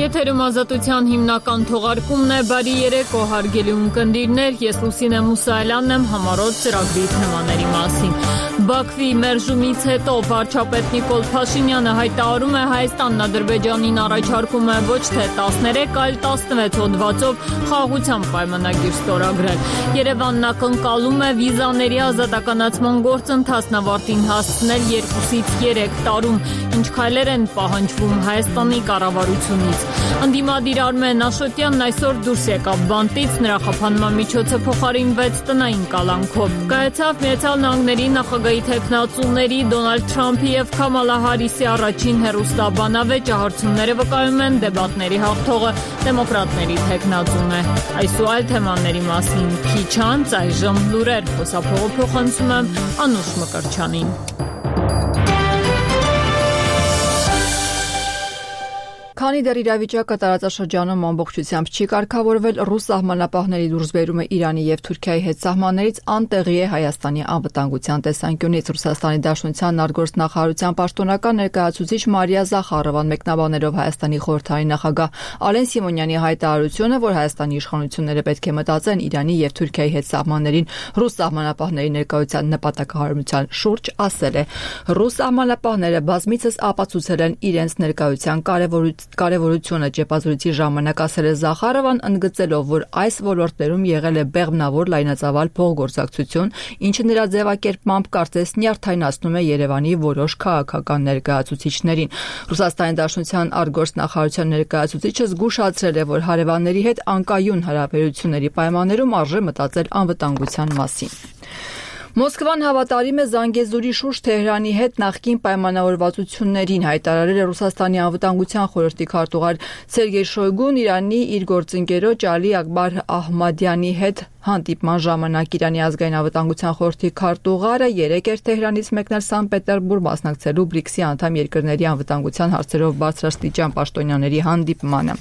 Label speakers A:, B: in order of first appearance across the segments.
A: Եթերում ազատության հիմնական թողարկումն է, բարի երեկո հարգելի ունկնդիրներ, ես Լուսինե Մուսայելյանն եմ համառոտ ծրագրի թեմաների մասին։ Բաքվի մերժումից հետո վարչապետ Նիկոլ Փաշինյանը հայտարարում է Հայաստանն Ադրբեջանին առաջարկում է ոչ թե 13, այլ 16 հոդվածով խաղաղության պայմանագիր ստորագրել։ Երևանն ակնկալում է վիզաների ազատականացման գործընթացն ավարտին հասցնել 2-ից 3 տարում, ինչ քայլեր են պահանջվում Հայաստանի կառավարությունից։ Ընդդիմադիր Արմեն Աշոտյանն այսօր դուրս եկավ բանտից, նրա խափանման միջոցը փոխարինվեց տնային կալանքով։ Կայացավ Միացյալ Նահանգների նախագահի թեկնածուների Դոնալդ Թրամփի եւ Քամալա Հարիսի առաջին հեռուստաբանավեճը, հարցումները վկայում են դեբատների հաղթողը դեմոկրատների թեկնածուն է։ Այս ու այլ թեմաների մասին քիչ անց այժմ լուրեր, խոսափողը փոխանցում եմ Անուշ Մկրտչյանին։ Քանի դեռ իրավիճակը տարածաշրջանում ամբողջությամբ չի կարգավորվել, ռուս սահմանապահների դուրսբերումը Իրանի եւ Թուրքիայի հետ սահմաններից անտեղի է Հայաստանի անվտանգության տեսանկյունից։ Ռուսաստանի Դաշնության արտգործնախարարության պաշտոնական ներկայացուցիչ Մարիա Զախարովան մեկնաբաներով Հայաստանի խորհրդարանի նախագահ Ալեն Սիմոնյանի հայտարարությունը, որ Հայաստանի իշխանությունները պետք է մտածեն Իրանի եւ Թուրքիայի հետ սահմաններին ռուս սահմանապահների ներկայության նպատակահարմարության շուրջ, ասել է. ռուս սահմանապահները բազմիցս ապացուցել են իրենց ներկայության կարևորությունը ճեպազրույցի ժամանակ, ասել է Զախարովան, ընդգծելով, որ այս ոլորտներում եղել է բեղմնավոր լայնածավալ փոխգործակցություն, ինչը նրա ձևակերպմամբ կարծես նյարդայնացնում է Երևանի որոշ քաղաքական ներկայացուցիչներին։ Ռուսաստանի Դաշնության արտգործնախարարության ներկայացուցիչը զգուշացրել է, որ հարևանների հետ անկայուն հարաբերությունների պայմաններում արժե մտածել անվտանգության մասին։ Մոսկվան հավատարիմ է Զանգեզուրի շուրջ Թեհրանի հետ նախկին պայմանավորվածություններին, հայտարարել է Ռուսաստանի անվտանգության խորհրդի քարտուղար Սերգեյ Շոյգուն Իրանի իր գործընկերոջ Ալի Ակբար Ահմադյանի հետ հանդիպման ժամանակ։ Իրանի ազգային անվտանգության խորհրդի քարտուղարը երեկ էր Թեհրանից մեկնել Սանկտ Պետերբուրգ մասնակցելու BRICS-ի անդամ երկրների անվտանգության հարցերով բարձրաստիճան պաշտոնյաների հանդիպմանը։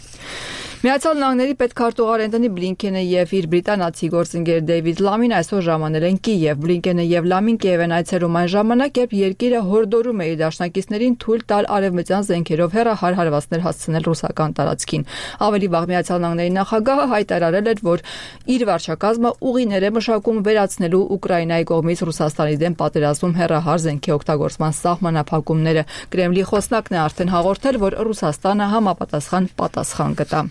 A: Միացյալ Նահանգների պետքարտուղար Էնթոնի Բլինքենը եւ իր բրիտանացի գործընկեր Դեյվիդ Լամին այսօր ժամանել են Կիև։ Բլինքենը եւ Լամին Կիև են այցելում այն ժամանակ, երբ երկիրը հորդորում է իր դաշնակիցներին թույլ տալ արևմտյան զենքերով հեռահար հարվածներ հասցնել ռուսական տարածքին։ Ավելի վաղ Միացյալ Նահանգների նախագահը հայտարարել էր, որ իր վարչակազմը ուղիներ է մշակում վերացնելու Ուկրաինայի կողմից Ռուսաստանի դեմ պատերազմում հեռահար զենքի օգտագործման սահմանափակումները։ Կրեմլի խոսնակն է արդեն հաղորդել, որ Ռուսաստանը համապատասխան պատասխան կտա։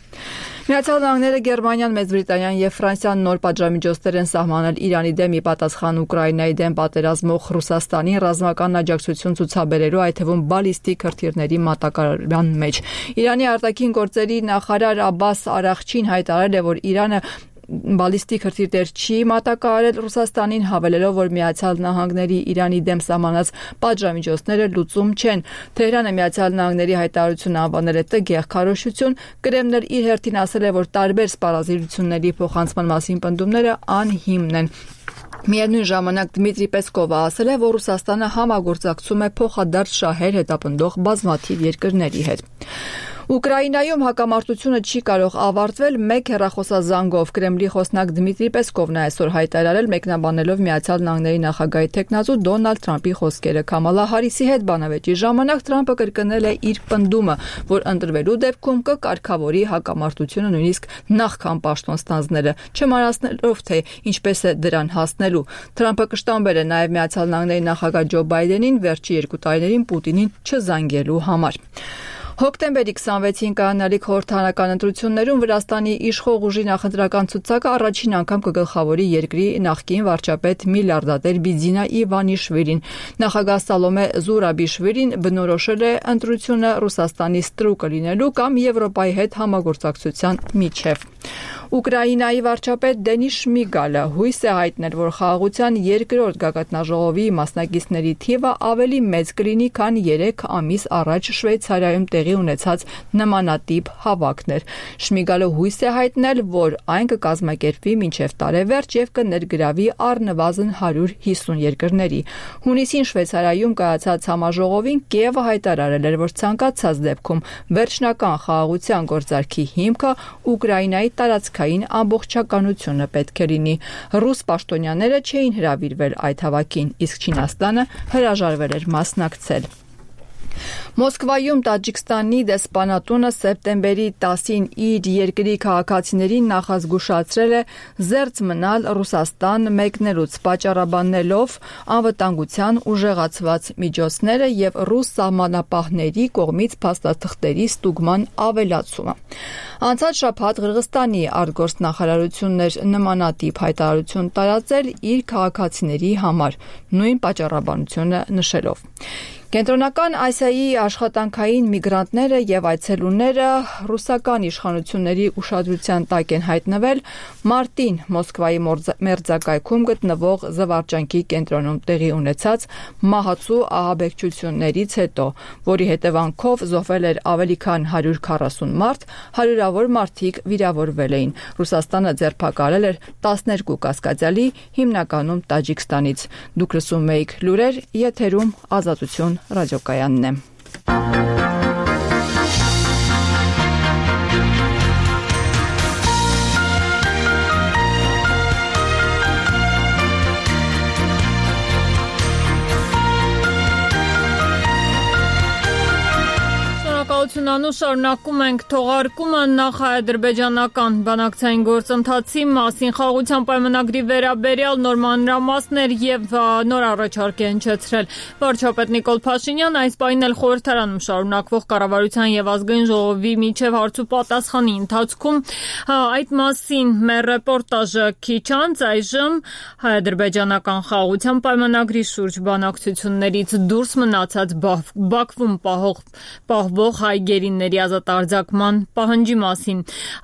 A: Միացյալ Նահանգները, Գերմանիան, Մեծ Բրիտանիան եւ Ֆրանսիան նոր պատժամիջոցներ են սահմանել Իրանի դեմ ի պատասխան Ուկրաինայի դեմ պատերազմող Ռուսաստանին ռազմական աջակցություն ցուցաբերելու, այդ թվում բալիստիկ հրթիռների մատակարարման մեջ։ Իրանի արտաքին գործերի նախարար Աբբաս Արաղչին հայտարարել է, որ Իրանը բալիստիկ հրթիռներ չի մատակարարել Ռուսաստանին, հավելելով, որ Միացյալ Նահանգների Իրանի դեմ սահմանած պատժամիջոցները լուծում չեն։ Թեհրանը Միացյալ Նահանգների հայտարարությունը անվանել է տգեղ քարոզություն։ Կրեմլն իր հերթին ասել է, որ տարբեր սպառազինությունների փոխանցման մասին պնդումները անհիմն են։ Միևնույն ժամանակ Դմիտրի Պեսկովը ասել է, որ Ռուսաստանը համագործակցում է փոխադարձ շահեր հետապնդող բազմաթիվ երկրների հետ։ Ուկրաինայում հակամարտությունը չի կարող ավարտվել մեկ հեռախոսազանգով։ Կրեմլի խոսնակ Դմիտրի Պեսկովն այսօր հայտարարել, մեկնաբանելով Միացյալ Նահանգների նախագահի թեկնածու Դոնալդ Թրամփի խոսքերը։ Քամալա Հարիսի հետ բանավեճի ժամանակ Թրամփը կրկնել է իր պնդումը, որ ընտրվելու դեպքում կկարգավորի հակամարտությունը նույնիսկ նախքան պաշտոն ստանձնելը, չմարացնելով թե ինչպես է դրան հասնելու։ Թրամփը կշտամբել է նաև Միացյալ Նահանգների նախագահ Ջո Բայդենին վերջի 2 տարիներին Պուտինին չզանգելու համար։ Հոկտեմբերի 26-ին կայանալիք խորհրդարանական ընտրություններում Վրաստանի իշխող ուժի նախընտրական ցուցակը առաջին անգամ կգլխավորի երկրի նախկին վարչապետ միլիարդատեր Բիձինա Իվանիշվիլին։ Նախագահ Սալոմե Զուրաբիշվիլին բնորոշել է ընտրությունը Ռուսաստանի ստրուկը լինելու կամ Եվրոպայի հետ համագործակցության միջև։ Ուկրաինայի վարչապետ Դենիս Շմիգալը հույս է հայտնել, որ խաղաղության երկրորդ գագաթնաժողովի մասնակիցների թիվը ավելի մեծ կլինի, քան 3 ամիս առաջ Շվեյցարիայում տեղի ունեցած նմանատիպ հավաքներ։ Շմիգալը հույս է հայտնել, որ այն կկազմակերպվի մինչև տարեվերջ եւ կներգրավի առնվազն 150 երկրների։ Հունիսին Շվեյցարիայում կայացած համաժողովին Կիևը հայտարարել էր, որ ցանկացած դեպքում վերջնական խաղաղության գործարքի հիմքը Ուկրաինայի տարածքային ամբողջականությունը պետք է լինի։ Ռուս պաշտոնյաները չէին հրավիրվել այդ հավաքին, իսկ Չինաստանը հրաժարվել էր մասնակցել։ Մոսկվայում Տաջիկստանի դեսպանատունը սեպտեմբերի 10-ին իր երկրի քաղաքացիներին նախազգուշացրել է զերծ մնալ Ռուսաստան մեկնելուց, պատճառաբանելով անվտանգության ուժեղացված միջոցները եւ ռուս սահմանապահների կողմից փաստաթղթերի ստուգման ավելացումը։ Անցած շաբաթ Ղրղստանի արտգործնախարարությունն էր նմանատիպ հայտարարություն տարածել իր քաղաքացիների համար, նույն պատճառաբանությունը նշելով։ Կենտրոնական Ասիայի աշխատանքային միգրանտները եւ այցելուները ռուսական իշխանությունների ուշադրության տակ են հայտնվել մարտին Մոսկվայի մերձակայքում գտնվող զվարճանքի կենտրոնում տեղի ունեցած մահացու ահաբեկչություններից հետո, որի հետևանքով զոհվել էր ավելի քան 140 մարդ, հարյուրավոր մարդիկ վիրավորվել էին։ Ռուսաստանը ձերբակալել էր 12 կասկածյալի, հիմնականում Տաջիկստանից։ Դուք լսում եք լուրեր, եթերում Ազատություն ռադիոկայանն է։
B: Շարունակում ենք թողարկումը նախ-ադրբեջանական բանակցային գործընթացի մասին խաղաղության պայմանագրի վերաբերյալ նոր մանրամասներ եւ նոր առաջարկ է հնչեցրել վարչապետ Նիկոլ Փաշինյանը այս պահին էլ խորհրդարանում շարունակվող կառավարության եւ ազգային ժողովի միջև հարց ու պատասխանի ընթացքում այդ մասին մեր ռեպորտաժը քիչ անց այժմ հայ-ադրբեջանական խաղաղության պայմանագրի շուրջ բանակցություններից դուրս մնացած Բաքվում պահվող հայ գերիների ազատարձակման պահանջի մասին։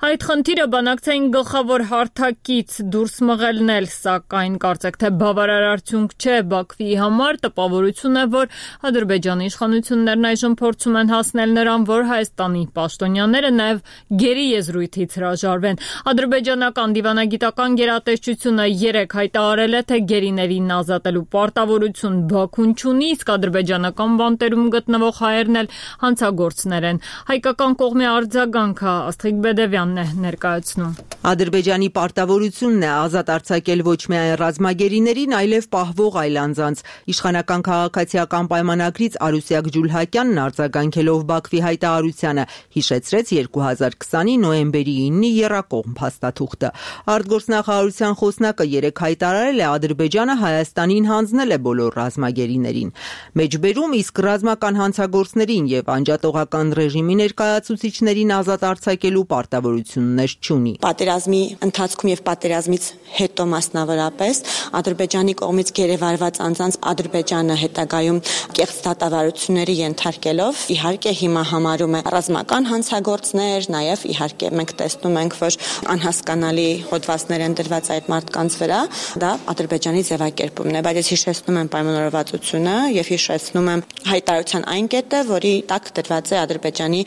B: Այդ խնդիրը բանակցային գլխավոր հարթակից դուրս մղելն էլ, սակայն կարծեք թե բավարար արդյունք չէ Բաքվի համար, տպավորություն է, որ Ադրբեջանի իշխանություններն այժմ փորձում են հասնել նրան, որ Հայաստանի պաշտոնյաները նաև գերի եզրույթից հրաժարվեն։ Ադրբեջանական դիվանագիտական գերատեսչությունը երեկ հայտարարել է, թե գերիներին ազատելու պարտավորություն Բաքուն չունի, իսկ ադրբեջանական բանտերում գտնվող հայերն էլ հանցագործներ են։ Հայկական կողմի արձագանքը Աստղիկ Բեդևյանն է ներկայացնում։
C: Ադրբեջանի պարտավորությունն է ազատ արձակել ոչ միայն ռազմագերիներին, այլև պահվող այլ անձանց։ Իշխանական քաղաքացիական պայմանագրից Արուսյակ Ջուլհակյանն արձագանքելով Բաքվի հայտարարությանը հիշեցրեց 2020-ի նոյեմբերի 9-ի եռակողմ փաստաթուղթը։ Արտգործնախարարության խոսնակը երեկ հայտարարել է, Ադրբեջանը Հայաստանին հանձնել է բոլոր ռազմագերիներին։ Մեջբերում իսկ ռազմական հանցագործներին եւ անջատողական ռեժիմի ներկայացուցիչներին ազատ արձակելու պարտավորություններ չունի։
D: Պատերազմի ընթացքում եւ պատերազմից հետո մասնավորապես Ադրբեջանի կողմից գերեվարված անձանց Ադրբեջանը հետագայում կեղծ դատավարությունների ենթարկելով իհարկե հիմա համարում է ռազմական հանցագործներ, նաեւ իհարկե մենք տեսնում ենք, որ անհասկանալի հոդվածներ են դրված այդ մարդկանց վրա, դա Ադրբեջանի ձևակերպումն է, բայց ես հիշեցնում եմ պայմանավորվածությունը եւ հիշեցնում եմ հայտարարության այն կետը, որի տակ դրված է Ադրբեջանի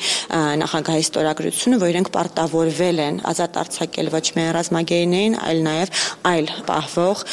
D: նախագահի ստորագրությունը, որ իրենք պարտավորվել են ազատ արձակել ոչ միայն ռազմագերիներին, այլ նաև այլ պահվող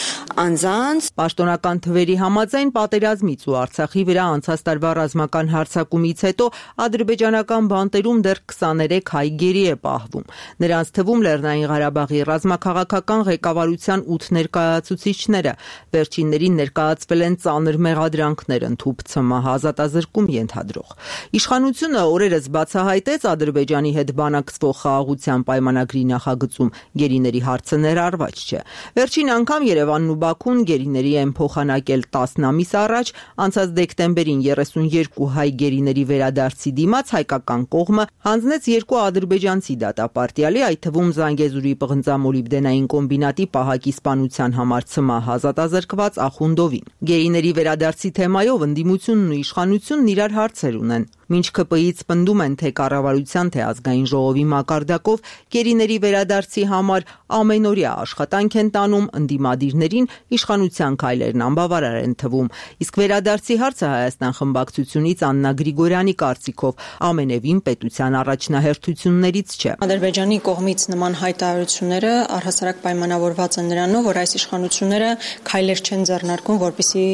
D: անձանց։
C: Պաշտոնական թվերի համաձայն պատերազմից ու Արցախի վրա անցած տարվա ռազմական հարձակումից հետո ադրբեջանական բանտերում դեռ 23 հայ գերի է պահվում։ Նրանց թվում Լեռնային Ղարաբաղի ռազմաքաղաքական ղեկավարության 8 ներկայացուցիչները, վերջիններին ներկայացվել են ծանր մեղադրանքներ, ընդհուպ ՑՄՀ ազատազրկում ենթադրող։ Իշխանությունը օրերս բացահայտեց Ադրբեջանի հետ բանակցվող խաղաղության պայմանագրի նախագծում գերիների հարցը ներառված չէ։ Վերջին անգամ Երևանն ու Բաքուն գերիների են փոխանակել 10 ամիս առաջ, անցած դեկտեմբերին 32 հայ գերիների վերադարձի դիմաց հայկական կողմը հանձնեց 2 ադրբեջանցի դատապարտյալի, այդ թվում Զանգեզուրի պղնձամոլիբդենային կոմբինատի պահակի սպանության համար ՑՄՀ ազատազրկված Ախունդովին։ Գերիների վերադարձի թեմայով ընդդիմությունն ու իշխանությունն իրար հարցեր ունեն։ Մինչ ԿՊ-ից պնդում են, թե կառավարության, թե ազգային ժողովի մակարդակով գերիների վերադարձի համար ամենօրյա աշխատանք են տանում, ընդդիմադիրներին իշխանության քայլերն անբավարար են թվում։ Իսկ վերադարձի հարցը Հայաստան խմբակցությունից Աննա Գրիգորյանի կարծիքով ամենևին պետության առաջնահերթություններից չէ։
E: Ադրբեջանի կողմից նման հայտարարությունները առհասարակ պայմանավորված են նրանով, որ այս իշխանությունները քայլեր չեն ձեռնարկում, որպեսզի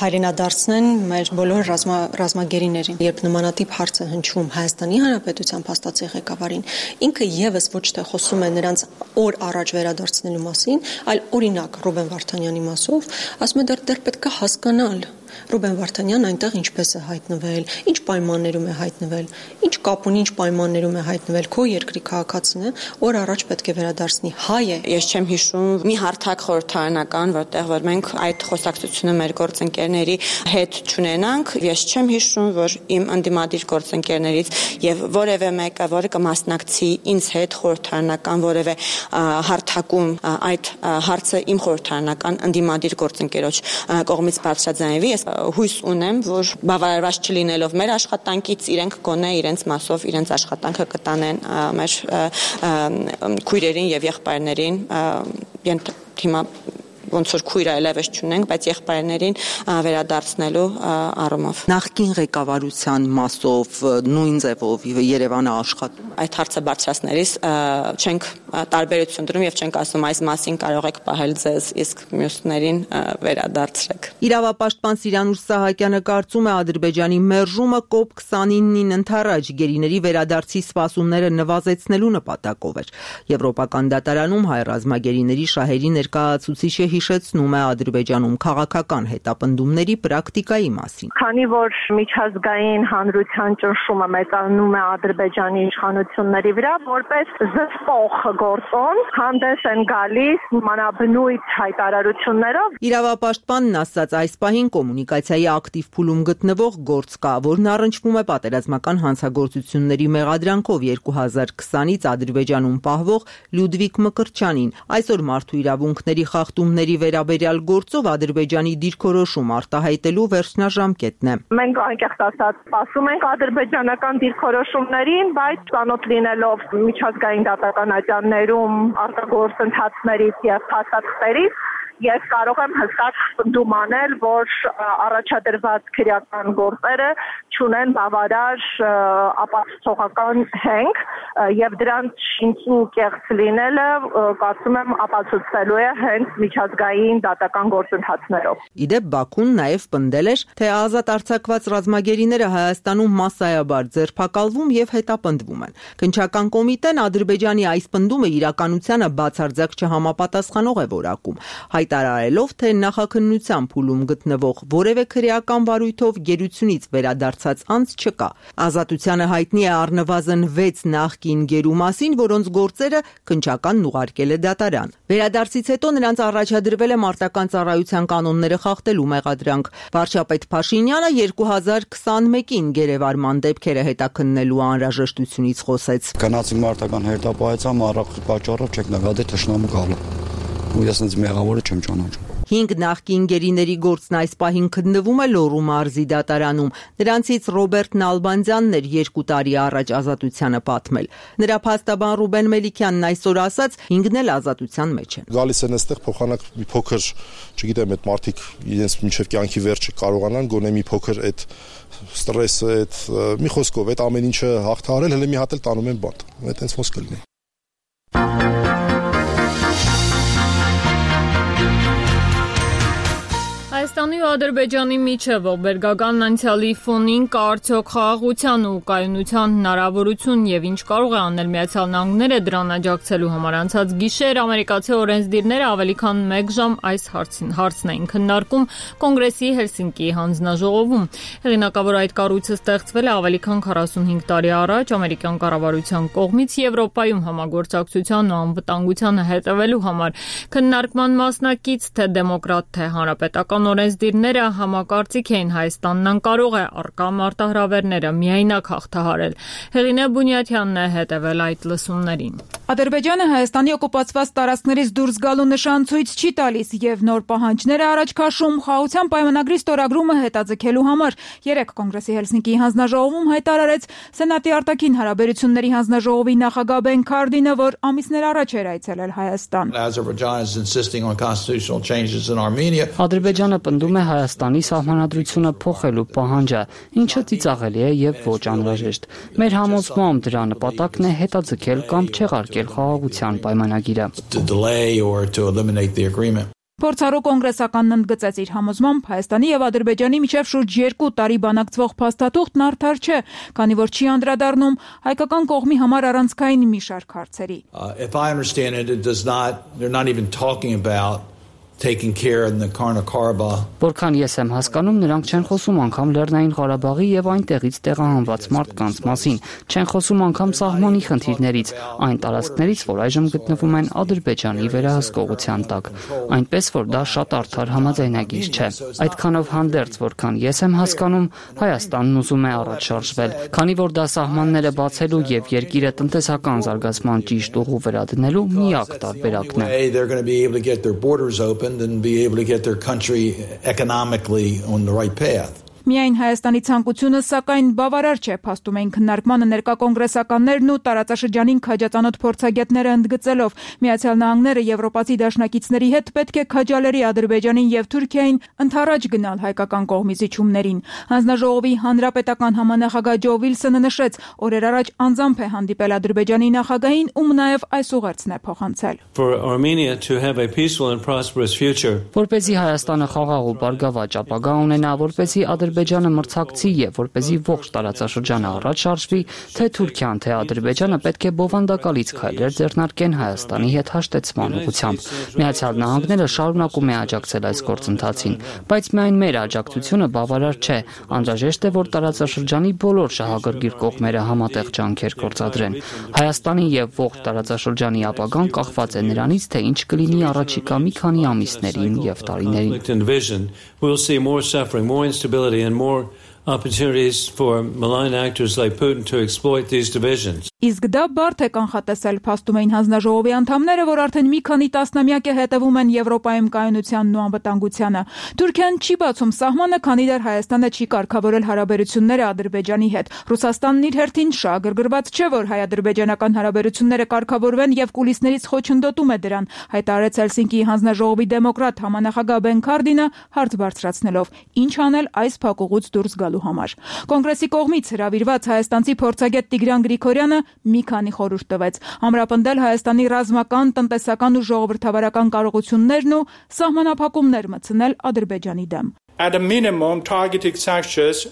E: հայրենադարձնեն մեր բոլոր ռազմագերիներին։ Երբ նմանատիպ հարց է հնչում Հայաստանի Հանրապետության փաստացի ղեկավարին, ինքը եւս ոչ թե խոսում է նրանց օր առաջ վերադարձնելու մասին, այլ օրինակ Ռուբեն Վարդանյանի մասով ասում է դեռ պետք է հասկանալ, Ռուբեն Վարդանյանն այնտեղ ինչպես է հայտնվել, ինչ պայմաններում է հայտնվել, ինչ կապ ունի, ինչ պայմաններում է հայտնվել, քո երկրի քաղաքացին է, օր առաջ պետք է վերադարձնի, հայ է։
D: Ես չեմ հիշում մի հարթակ խորհրդարանական, որտեղ որ մենք այդ խոսակցությունը մեր գործընկերների հետ չունենանք, ես չեմ հիշում, որ իմ ընդդիմադիր գործընկերներից եւ որևէ մեկը, որը կմասնակցի ինձ հետ խորհրդարանական որևէ հարթակում այդ հարցը իմ խորհրդարանական ընդդիմադիր գործընկերոջ կողմից բարձրաձայնվի, ես հույս ունեմ, որ բավարարված չլինելով մեր աշխատանքից իրենք գոնե իրենց մասով իրենց աշխատանքը կտանեն մեր քույրերին եւ եղբայրներին հիմա ոնց որ քույր այլևս չունենք, բայց եղբայրներին վերադարձնելու առումով։
C: Նախկին ղեկավարության մասով նույն ձևով Երևանը աշխատում։
D: Այդ հարցը բարձրացնելիս չենք տարբերություն դրում եւ չենք ասում այս մասին կարող եք պահել ձեզ, իսկ մյուսներին վերադարձրեք։
C: Իրավապաշտպան Սիրանուշ Սահակյանը կարծում է Ադրբեջանի մերժումը COP29-ին ընթരാճ գերիների վերադարձի սպասումները նվազեցնելու նպատակով էր։ Եվրոպական դատարանում հայ ռազմագերիների շահերի ներկայացուցիչը հիշեցնում է Ադրբեջանում քաղաքական հետապնդումների պրակտիկայի մասին։
F: Քանի որ միջազգային հանրության ճնշումը մեծանում է Ադրբեջանի իշխանությունների վրա, որպես զսպող գործոն հանդես են գալիս մանաբնույթ հայտարարություններով։
C: Իրավապաշտպանն ասաց այս պահին կոմունիկացիայի ակտիվ փուլում գտնվող գործ կա, որն առնչվում է պատերազմական հանցագործությունների մեղադրանքով 2020-ից Ադրբեջանում պահվող Լյուդվիկ Մկրտչյանին։ Այսօր մարդու իրավունքների խախտումների վերաբերյալ գործով Ադրբեջանի դիրքորոշում արտահայտելու վերջնաժամկետն է։
F: Մենք անկեղծ ասած սպասում ենք ադրբեջանական դիրքորոշումներին, բայց ծանոթ լինելով միջազգային դատական ատյաններում արտագործընթացներից եւ փաստաթղթերից ես կարող եմ հստակ պնդում անել, որ առաջադրված քրեական գործերը չունեն բավարար ապացուցողական հենք եւ դրանց շինծու կեղծ լինելը կարծում եմ ապացուցվելու է հենց միջազգային դատական գործընթացներով։
C: Իդեպ Բաքուն նաեւ պնդել էր, թե ազատ արձակված ռազմագերիները Հայաստանում մասսայաբար ձերբակալվում եւ հետապնդվում են։ Քննչական կոմիտեն Ադրբեջանի այս պնդումը իրականությանը բացարձակ չհամապատասխանող է որակում, հայտարարելով, թե նախաքննության փուլում գտնվող որևէ քրեական վարույթով գերությունից վերադարձած անձ չկա։ Ազատությանը հայտնի է առնվազն 6 նախկին գերու մասին, որոնց գործերը քննչականն ուղարկել է դատարան։ Վերադարձից հետո նրանց առաջադրվել է մարտական ծառայության կանոնները խախտելու մեղադրանք։ Վարչապետ Փաշինյանը 2021-ին գերեվարման դեպքերը հետաքննելու անհրաժեշտությունից խոսեց։
G: Գնացինք մարտական հերթապահեցան, առաքել պատճառով չեք նկատի թշնամու գալու։ Ու ես ինձ մեղավորը չեմ ճանաչում։
C: 5 նախկին գերիների գործն այս պահին քննվում է Լոռու մարզի դատարանում։ Նրանցից Ռոբերտ Նալբանդյանն էր 2 տարի առաջ ազատությանը պատմել։ Նրա փաստաբան Ռուբեն Մելիքյանն այսօր ասաց 5-ն էլ ազատության մեջ են։
H: Գալիս են այստեղ փոխանակ մի փոքր, չգիտեմ, այդ մարդիկ իրենց մինչև կյանքի վերջը կարողանան գոնե մի փոքր այդ ստրեսը, այդ մի խոսքով այդ ամեն ինչը հաղթահարել, հələ մի հատ էլ տանում են բանտ։ Այդ հենց ոնց կլինի։
B: Հայաստանի ու Ադրբեջանի միջև ողբերգական անցյալի ֆոնին կա արդյոք խաղաղության ու կայունության հնարավորություն եւ ինչ կարող է անել Միացյալ Նահանգները դրան աջակցելու համար։ Անցած գիշեր ամերիկացի օրենսդիրները ավելի քան 1 ժամ այս հարցն էին քննարկում Կոնգրեսի Հելսինկիի հանձնաժողովում։ Հեղինակավոր այդ կառույցը ստեղծվել է ավելի քան 45 տարի առաջ ամերիկյան կառավարության կողմից Եվրոպայում համագործակցության ու անվտանգությանը հետևելու համար։ Քննարկման մասնակից թե դեմոկրատ, թե հանրապետական օրենսդիրները համակարծիք էին Հայաստանն անկարող է առկա մարտահրավերները միայնակ հաղթահարել։ Հեղինե Բունյաթյանն է հետևել այդ լսումներին։
I: Ադրբեջանը Հայաստանի օկուպացված տարածքներից դուրս գալու նշան ցույց չի տալիս եւ նոր պահանջներ է առաջ քաշում խաղաղության պայմանագրի ստորագրումը հետաձգելու համար։ Երեկ Կոնգրեսի Հելսինկիի հանձնաժողովում հայտարարեց Սենատի արտաքին հարաբերությունների հանձնաժողովի նախագահ Բեն Քարդինը, որ ամիսներ առաջ էր այցելել Հայաստան։
J: Ադրբեջանը պնդում է Հայաստանի սահմանադրությունը փոխելու պահանջը, ինչը ծիծաղելի է եւ ոչ անհրաժեշտ։ Մեր համոզմամբ դրա նպատակն է հետաձգել կամ չեղարկել խաղաղության պայմանագիրը։
I: Փորձառու կոնգրեսականն ընդգծեց իր համոզմամբ Հայաստանի եւ Ադրբեջանի միջև շուրջ 2 տարի բանակցվող փաստաթուղթն արդար չէ, քանի որ չի անդրադառնում հայկական կողմի համար առանցքային մի շարք հարցերի։
K: taking care in the Nagorno-Karabakh.
J: Որքան ես եմ հասկանում, նրանք չեն խոսում անգամ Լեռնային Ղարաբաղի եւ այնտեղից տեղահանված մարդկանց մասին, չեն խոսում անգամ սահմանի խնդիրներից, այն տարածքներից, որ այժմ գտնվում են Ադրբեջանի վերահսկողության տակ, այնպես որ դա շատ արդար համաձայնագիր չէ։ Այդքանով հանդերձ, որքան ես եմ հասկանում, Հայաստանն ուզում է առաջ շարժվել, քանի որ դա սահմանները բացելու եւ երկիրը տնտեսական զարգացման ճիշտ ուղու վրա դնելու միակ տարբերակն է։
K: And be able to get their country economically on the right path.
I: Միայն Հայաստանի ցանկությունը, սակայն բավարար չէ, փաստում էին քննարկմանը ներկա կոնգրեսականներն ու տարածաշրջանին քաջածանոթ փորձագետները ընդգծելով Միացյալ Նահանգները եվրոպացի դաշնակիցների հետ պետք է քաջալերի Ադրբեջանին եւ Թուրքիային ընդառաջ գնալ հայկական կողմի զիջումներին։ Հանձնաժողովի հանրապետական համանախագահ Ջո Վիլսոնը նշեց, օրեր առաջ անձամբ է հանդիպել Ադրբեջանի նախագահին, ում նաեւ այս ուղերձն է փոխանցել։
J: Որպեսզի Հայաստանը խաղաղ ու բարգավաճ ապագա ունենա, որպեսզի Ադրբեջանը մրցակցի եւ որպեսզի ողջ տարածաշրջանը առաջ շարժվի, թե Թուրքիան, թե Ադրբեջանը պետք է բովանդակալից քայլեր ձեռնարկեն Հայաստանի հետ հաշտեցման ուղղությամբ։ Միացյալ Նահանգները շարունակում է աջակցել այս գործընթացին, բայց միայն մեր աջակցությունը բավարար չէ, անհրաժեշտ է, որ տարածաշրջանի բոլոր շահագրգիռ կողմերը համատեղ ջանքեր գործադրեն։ Հայաստանի եւ ողջ տարածաշրջանի ապագան կախված է նրանից, թե ինչ կլինի առաջիկա մի քանի ամիսներին եւ տարիներին։
L: And more opportunities for malign actors like Putin to exploit these divisions.
I: Իսկ դա բարդ է կանխատեսել, փաստում էին հանձնաժողովի անդամները, որ արդեն մի քանի տասնամյակ է հետևում են Եվրոպայում կայունությանն ու անվտանգությանը։ Թուրքիան չի բացում սահմանը, քանի դեռ Հայաստանը չի կարգավորել հարաբերությունները Ադրբեջանի հետ։ Ռուսաստանն իր հերթին շահագրգռված չէ, որ հայ-ադրբեջանական հարաբերությունները կարգավորվեն եւ կուլիսներից խոչընդոտում է դրան, հայտարարեց Հելսինկիի հանձնաժողովի դեմոկրատ համանախագահ Բեն Քարդինը, հարց բարձրացնելով. ինչ անել այս փակուղուց դուրս գալու համար։ Կոնգրեսի կողմից հրավիրված հայաստանցի փորձագետ Տիգրան Գրիգորյանը մի քանի խորհուրդ տվեց. ամրապնդել Հայաստանի ռազմական, տնտեսական ու ժողովրդավարական կարողություններն ու սահմանափակումներ մտցնել Ադրբեջանի դեմ։
M: At a minimum, targeted sanctions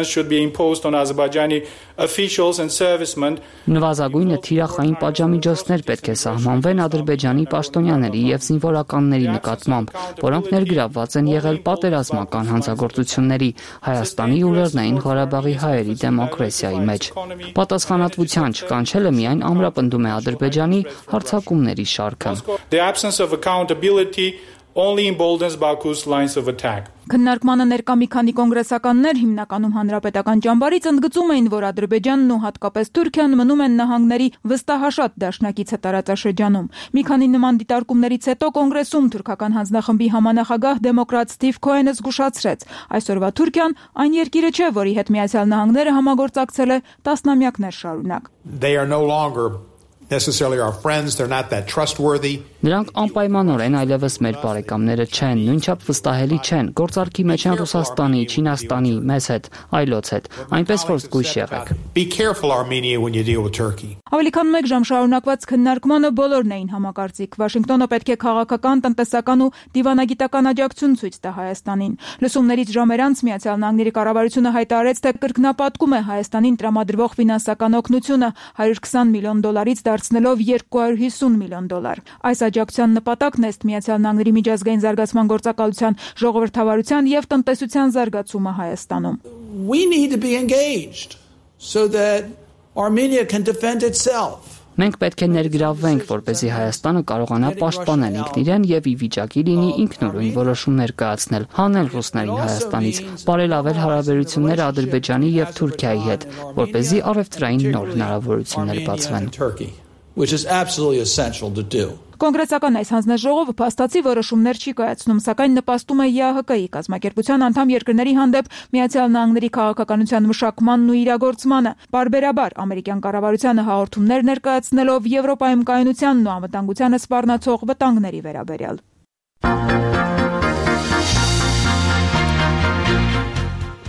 M: should be imposed on Azerbaijani officials and servicemen.
J: Նվազագույնը թիրախային պատժամիջոցներ պետք է սահմանվեն Ադրբեջանի պաշտոնյաների եւ զինվորականների նկատմամբ, որոնք ներգրավված են եղել պատերազմական հանցագործությունների, Հայաստանի ու Լեռնային Ղարաբաղի հայերի դեմոկրատիայի մեջ։ Պատասխանատվության չկանչելը միայն ամրապնդում է Ադրբեջանի հարձակումների շարքը։
M: The absence of accountability only emboldens Baku's lines of attack.
I: Քննարկմանը ներկա մի քանի կոնգրեսականներ, հիմնականում հանրապետական ճամբարից, ընդգծում էին, որ Ադրբեջանն ու հատկապես Թուրքիան մնում են նահանգների վստահաշատ դաշնակիցը տարածաշրջանում։ Մի քանի նման դիտարկումներից հետո կոնգրեսում թուրքական հանձնախմբի համանախագահ դեմոկրատ Սթիվ Քոենը զգուշացրեց. այսօրվա Թուրքիան այն երկիրը չէ, որի հետ Միացյալ Նահանգները համագործակցել է տասնամյակներ շարունակ։
K: They are no longer necessarily our friends, they're not that trustworthy.
J: Նրանք անպայմանորեն այլևս մեր բարեկամները չեն, նույնչափ վստահելի չեն, գործարքի մեջ են Ռուսաստանի, Չինաստանի, մեզ հետ, այլոց հետ, այնպես որ զգույշ եղեք։
K: Be careful, Armenia, when you deal with Turkey.
I: Ավելի քան 1 ժամ շարունակված քննարկմանը բոլորն էին համակարծիք։ Վաշինգտոնը պետք է քաղաքական, տնտեսական ու դիվանագիտական աջակցություն ցույց տա Հայաստանին։ Լսումներից ժամեր անց Միացյալ Նահանգների կառավարությունը հայտարարեց, թե կրկնապատկում է Հայաստանին տրամադրվող ֆինանսական օգնությունը $120 միլիոն դարձնելով $250 միլիոն։ Այս աջակցության նպատակն է Միացյալ Նահանգների միջազգային զարգացման գործակալության, ժողովրդավարության եւ տնտեսության զարգացումը Հայաստանում։
K: We need to be engaged so that Armenia can defend itself.
J: Մենք պետք է ներգրավվենք, որպեսզի Հայաստանը կարողանա պաշտպանել ինքն իրեն եւ ի վիճակի լինի ինքնուրույն որոշումներ կայացնել, հանել ռուսներին Հայաստանից, բարելավել հարաբերությունները Ադրբեջանի եւ Թուրքիայի հետ, որպեսզի առևտրային նոր հնարավորություններ բացվեն։
K: Which is absolutely essential to do.
I: Կոնգրեսական այս հանձնաժողովը փաստացի որոշումներ չի կայացնում, սակայն նպաստում է ԵԱՀԿ-ի կազմակերպության անդամ երկրների հանդեպ Միացյալ Նահանգների քաղաքականության մշակմանն ու իրագործմանը, բարբերաբար ամերիկյան կառավարությանը հաղորդումներ ներկայացնելով Եվրոպայում կայունությանն ու անվտանգությանը սպառնացող վտանգների վերաբերյալ։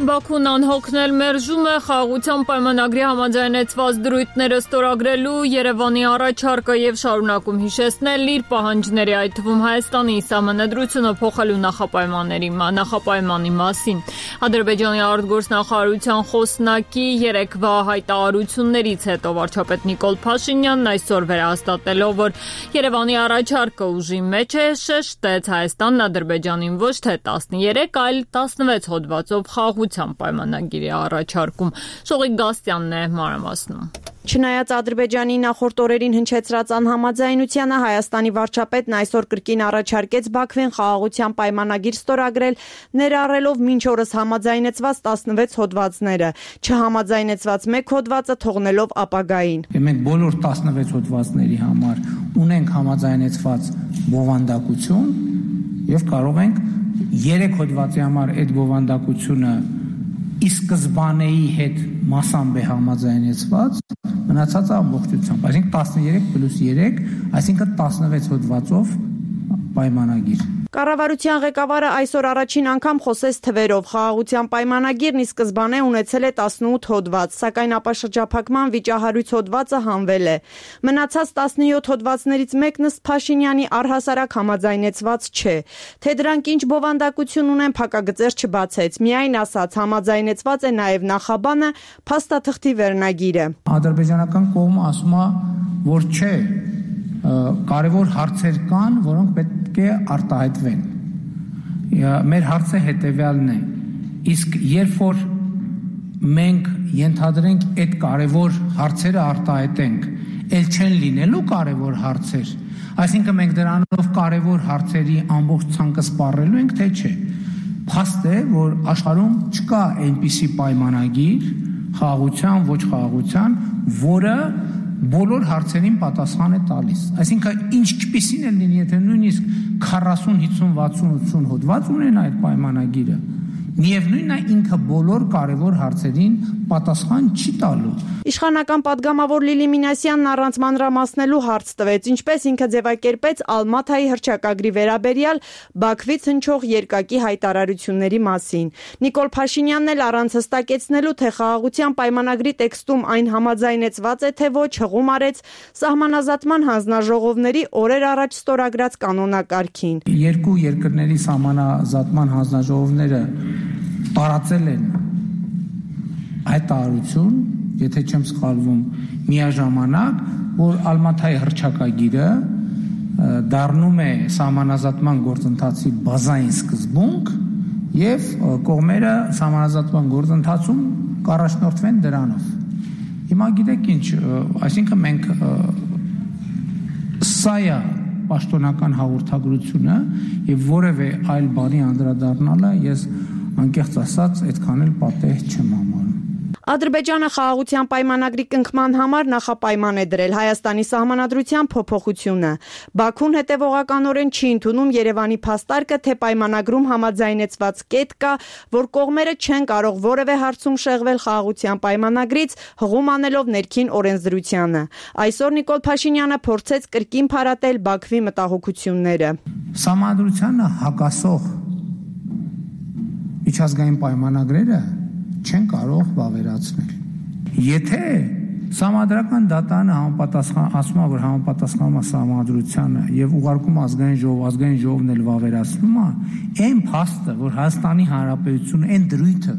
B: Բաքուն անհոգնել մերժում է խաղաղության պայմանագրի համաձայնեցված դրույթները ստորագրելու Երևանի առաջարկը եւ շարունակում հիշեցնել իր պահանջների, այդ թվում Հայաստանի սահմանադրությունը փոխելու նախապայմանի մասին։ Ադրբեջանի արտգործնախարարության խոսնակի երեկվա հայտարարություններից հետո վարչապետ Նիկոլ Փաշինյանն այսօր վերահաստատելով, որ Երևանի առաջարկը ուժի մեջ է, շեշտեց Հայաստանն Ադրբեջանին ոչ թե 13, այլ 16 հոդվածով խաղաղության պայմանագիրի առաջարկում։ Շողիկ Գաստյանն է մանրամասնում։
N: Չնայած Ադրբեջանի նախորդ օրերին հնչեցրած անհամաձայնությանը, Հայաստանի վարչապետն այսօր կրկին առաջարկեց Բաքվին խաղաղության պայմանագիր ստորագրել, ներառելով մինչ օրս համաձայնեցված 16 հոդվածները, չհամաձայնեցված 1 հոդվածը թողնելով ապագային։
O: Մենք բոլոր 16 հոդվածների համար ունենք համաձայնեցված բովանդակություն եւ կարող ենք 3 հոդվածի համար այդ բովանդակությունը ի սկզբանեի հետ մասամբ է համաձայնեցված, մնացածը ամբողջությամբ, այսինքն 13 + 3, այսինքն 16 հոդվածով պայմանագիր։
N: Կառավարության ղեկավարը այսօր առաջին անգամ խոսեց թվերով։ Խաղաղության պայմանագիրն ի սկզբանե ունեցել է 18 հոդված, սակայն ապաշրջափակման վիճահարույց հոդվածը հանվել է։ Մնացած 17 հոդվածներից մեկն ըստ Փաշինյանի առհասարակ համաձայնեցված չէ։ Թե դրանք ինչ բովանդակություն ունեն, փակագծեր չբացեց։ Միայն ասաց, համաձայնեցված է նաև նախաբանը, փաստաթղթի վերնագիրը։
O: Ադրբեջանական կողմը ասում է, որ չէ, կարևոր հարցեր կան, որոնք պետք է արտահայտվեն։ Մեր հարցը հետևյալն է. իսկ երբ որ մենք ենթադրենք այդ կարևոր հարցերը արտահայտենք, ել չեն լինելու կարևոր հարցեր, այսինքն մենք դրանով կարևոր հարցերի ամբողջ ցանկը սպառելու ենք, թե չէ։ Փաստ է, որ աշխարհում չկա այնպիսի պայմանագիր խաղաղության, ոչ խաղաղության, որը բոլոր հարցերին պատասխան է տալիս։ Այսինքն ինչպիսին է լինի, եթե նույնիսկ 40, 50, 60, 80 հոդված ունենա այդ պայմանագիրը, միևնույնն է ինքը բոլոր կարևոր հարցերին պատասխան չի տալու։
N: Իշխանական պատգամավոր Լիլի Մինասյանն առանց մանրամասնելու հարց տվեց, ինչպես ինքը ձևակերպեց Ալմաթայի հռչակագրի վերաբերյալ Բաքվից հնչող երկակի հայտարարությունների մասին։ Նիկոլ Փաշինյանն էլ առանց հստակեցնելու, թե խաղաղության պայմանագրի տեքստում այն համաձայնեցված է, թե ոչ, հղում արեց սահմանազատման հանձնաժողովների օրեր առաջ ստորագրած կանոնակարգին։
O: Երկու երկրների սահմանազատման հանձնաժողովները տարածել են հայտարարություն, եթե չեմ սխալվում, միաժամանակ, որ Ալմաթայի հռչակագիրը դառնում է սահմանազատման գործընթացի բազային սկզբունք եւ կողմերը սահմանազատման գործընթացում կառաջնորդվեն դրանով։ Հիմա գիտեք ինչ, այսինքն մենք սա է պաշտոնական հաղորդագրությունը եւ որևէ այլ բանի անդրադառնալը ես անկեղծ ասած այդքան էլ պատեհ չեմ համարում։
N: Ադրբեջանը խաղաղության պայմանագրի կնքման համար նախապայման է դրել Հայաստանի սահմանադրության փոփոխությունը։ Բաքուն հետևողականորեն չի ընդունում Երևանի փաստարկը, թե պայմանագրում համաձայնեցված կետ կա, որ կողմերը չեն կարող որևէ հարցում շեղվել խաղաղության պայմանագրից, հղում անելով ներքին օրենսդրությանը։ Այսօր Նիկոլ Փաշինյանը փորձեց կրկին փարատել Բաքվի մտահոգությունները։
O: Սահմանադրությանը հակասող միջազգային պայմանագրերը չեն կարող վավերացնել։ Եթե Սահմանադրական դատանը ասում է, որ համապատասխանում է սահմանադրությանը եւ ուղարկում ազգային ժողովն էլ վավերացնում է, այն փաստը, որ Հայաստանի Հանրապետությունը, այն դրույթը,